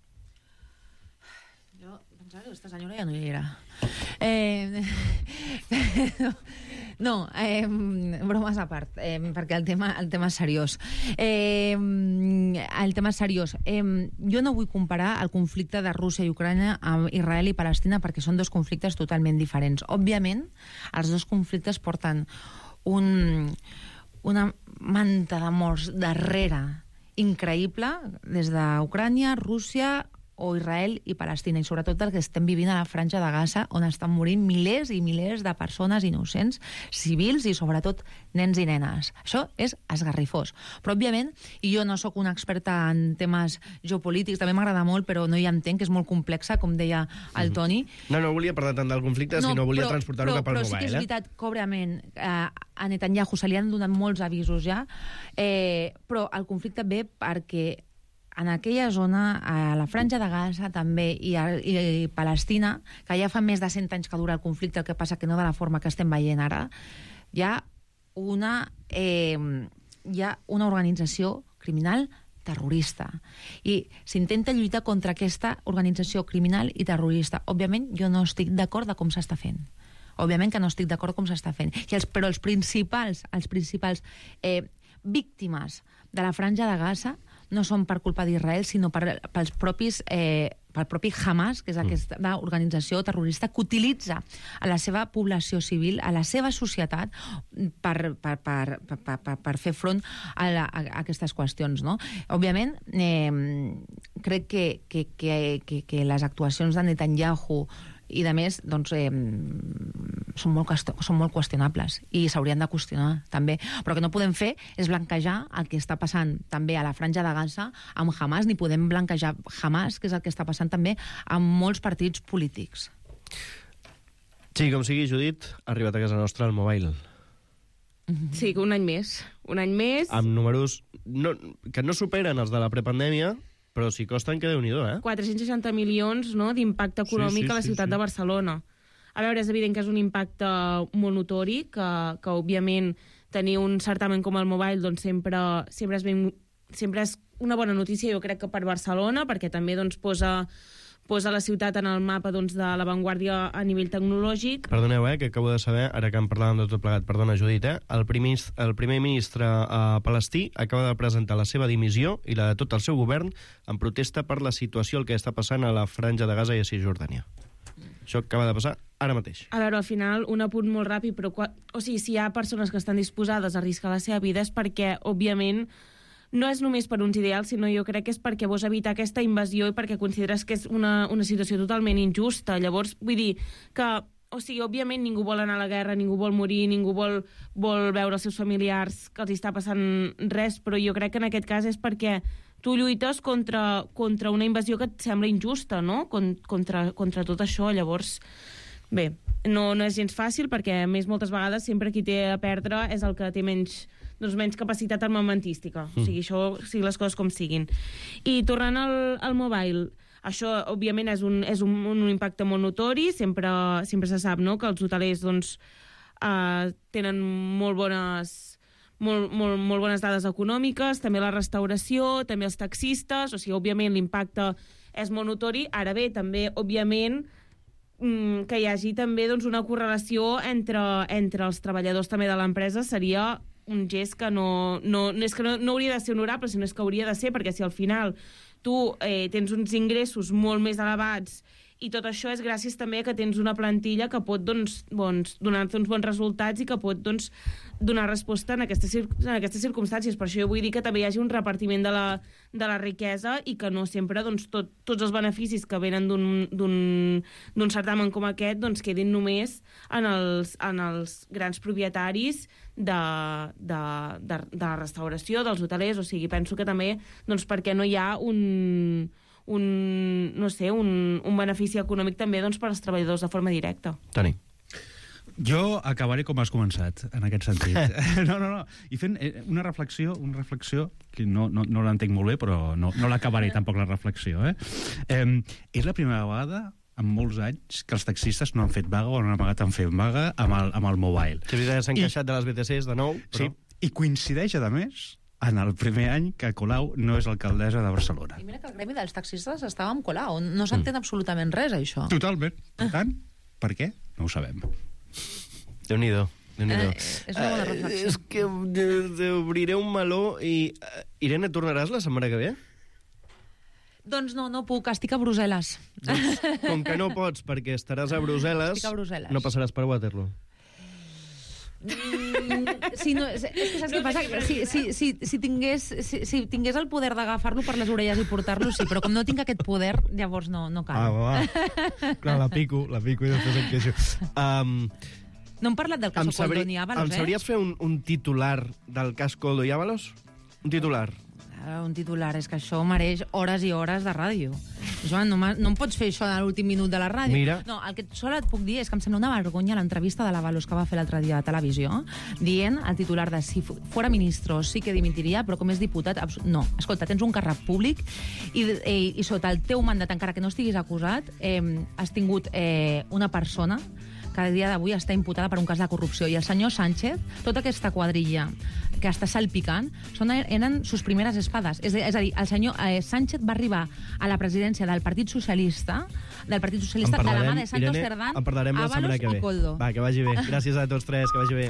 Aquesta senyora ja no hi era. No, bromes a part, perquè el tema és seriós. El tema és seriós. Jo no vull comparar el conflicte de Rússia i Ucrània amb Israel i Palestina perquè són dos conflictes totalment diferents. Òbviament, els dos conflictes porten una manta de morts darrere increïble des d'Ucrània, Rússia o Israel i Palestina, i sobretot el que estem vivint a la Franja de Gaza, on estan morint milers i milers de persones innocents, civils i sobretot nens i nenes. Això és esgarrifós. Però, òbviament, i jo no sóc una experta en temes geopolítics, també m'agrada molt, però no hi entenc, que és molt complexa, com deia el Toni. No volia parlar tant del conflicte, sinó volia transportar-ho cap al mobile. Però sí que és veritat que, òbviament, a Netanyahu se li han donat molts avisos ja, però el conflicte ve perquè en aquella zona, a la Franja de Gaza també, i Palestina, que ja fa més de 100 anys que dura el conflicte, el que passa que no de la forma que estem veient ara, hi ha una organització criminal terrorista. I s'intenta lluitar contra aquesta organització criminal i terrorista. Òbviament, jo no estic d'acord de com s'està fent. Òbviament que no estic d'acord com s'està fent. Però els principals víctimes de la Franja de Gaza no són per culpa d'Israel, sinó pel propi Hamas, que és aquesta organització terrorista que utilitza a la seva població civil, a la seva societat, per fer front a aquestes qüestions, no? Òbviament, crec que les actuacions de Netanyahu i, de més, doncs, són molt qüestionables i s'haurien de qüestionar, també. Però que no podem fer és blanquejar el que està passant també a la Franja de Gaza amb Hamas, ni podem blanquejar Hamas, que és el que està passant també amb molts partits polítics. Sí, com sigui, Judit, ha arribat a casa nostra el mobile. Sí, un any més. Un any més. Amb números que no superen els de la prepandèmia, però si costen, que Déu-n'hi-do, 460 milions, no, d'impacte econòmic a la ciutat de Barcelona. A veure, és evident que és un impacte molt notori, que òbviament tenir un certamen com el Mobile doncs, sempre és una bona notícia, jo crec que per Barcelona, perquè també doncs, posa la ciutat en el mapa doncs, de l'avantguàrdia a nivell tecnològic. Perdoneu, que acabo de saber, ara que en parlàvem de tot plegat, perdona, Judit, el primer ministre palestí acaba de presentar la seva dimissió i la de tot el seu govern en protesta per la situació, el que està passant a la Franja de Gaza i a Cisjordània. Això acaba de passar ara mateix. A veure, al final, un apunt molt ràpid, però si hi ha persones que estan disposades a arriscar la seva vida és perquè, òbviament, no és només per uns ideals, sinó jo crec que és perquè vols evitar aquesta invasió i perquè consideres que és una situació totalment injusta. Llavors, vull dir que, òbviament ningú vol anar a la guerra, ningú vol morir, ningú vol veure els seus familiars que els està passant res, però jo crec que en aquest cas és perquè tu lluites contra una invasió que et sembla injusta, no? Contra tot això. Llavors, bé, no és gens fàcil perquè, a més, moltes vegades sempre qui té a perdre és el que té menys capacitat armamentística. O sigui, això, sigui les coses com siguin. I tornant al mobile, això, òbviament, és un impacte molt notori. Sempre se sap, no?, que els hotelers doncs, tenen molt bones dades econòmiques, també la restauració, també els taxistes, o sigui, òbviament, l'impacte és molt notori. Ara bé, també, òbviament, que hi hagi també doncs, una correlació entre els treballadors també de l'empresa seria un gest que no hauria de ser honorable, sinó que hauria de ser, perquè si al final tu tens uns ingressos molt més elevats i tot això és gràcies també a que tens una plantilla que pot donar-te uns bons resultats i que pot donar resposta en aquestes circumstàncies. Per això jo vull dir que també hi hagi un repartiment de la riquesa i que no sempre tots els beneficis que venen d'un certamen com aquest quedin només en els grans propietaris de la restauració, dels hotelers. O sigui, penso que també perquè no hi ha un benefici econòmic també per als treballadors de forma directa. Toni. Jo acabaré com has començat, en aquest sentit. No. I fent una reflexió que no l'entenc molt bé, però no l'acabaré tampoc, la reflexió. És la primera vegada en molts anys que els taxistes no han fet vaga o han amagat en fer vaga amb el mobile. Sí, s'han queixat de les BTCs de nou, però... Sí, i coincideix, a més, en el primer any que Colau no és alcaldessa de Barcelona. I mira que el gremi dels taxistes estava amb Colau. No s'entén absolutament res, això. Totalment. Per tant, per què? No ho sabem. Déu-n'hi-do. És una bona reflexió. És que obriré un meló i... Irene, tornaràs la setmana que ve? Doncs no puc, estic a Brussel·les. Doncs, com que no pots perquè estaràs a Brussel·les, no passaràs per Waterloo. Sí, no, és que saps què passa? Si tingués el poder d'agafar-lo per les orelles i portar-lo, sí, però com no tinc aquest poder, llavors no cal. Clar, la pico i després em queixo. No hem parlat del cas Koldo ni Ábalos, Em sabries fer un titular del cas Koldo i Ábalos? Un titular. Un titular, és que això mereix hores i hores de ràdio. Joan, no em pots fer això a l'últim minut de la ràdio. Mira. No, el que sola et puc dir és que em sembla una vergonya l'entrevista de l'Ábalos que va fer l'altre dia a televisió, dient el titular de si fora ministre sí que dimitiria, però com és diputat... No, escolta, tens un càrrec públic i sota el teu mandat, encara que no estiguis acusat, has tingut una persona que a dia d'avui està imputada per un cas de corrupció. I el senyor Sánchez, tota aquesta quadrilla que està salpicant, eren sus primeres espades. És a dir, el senyor Sánchez va arribar a la presidència del Partit Socialista de la mà de Santos Cerdán, Ábalos i Koldo. Va, que vagi bé. Gràcies a tots tres, que vagi bé.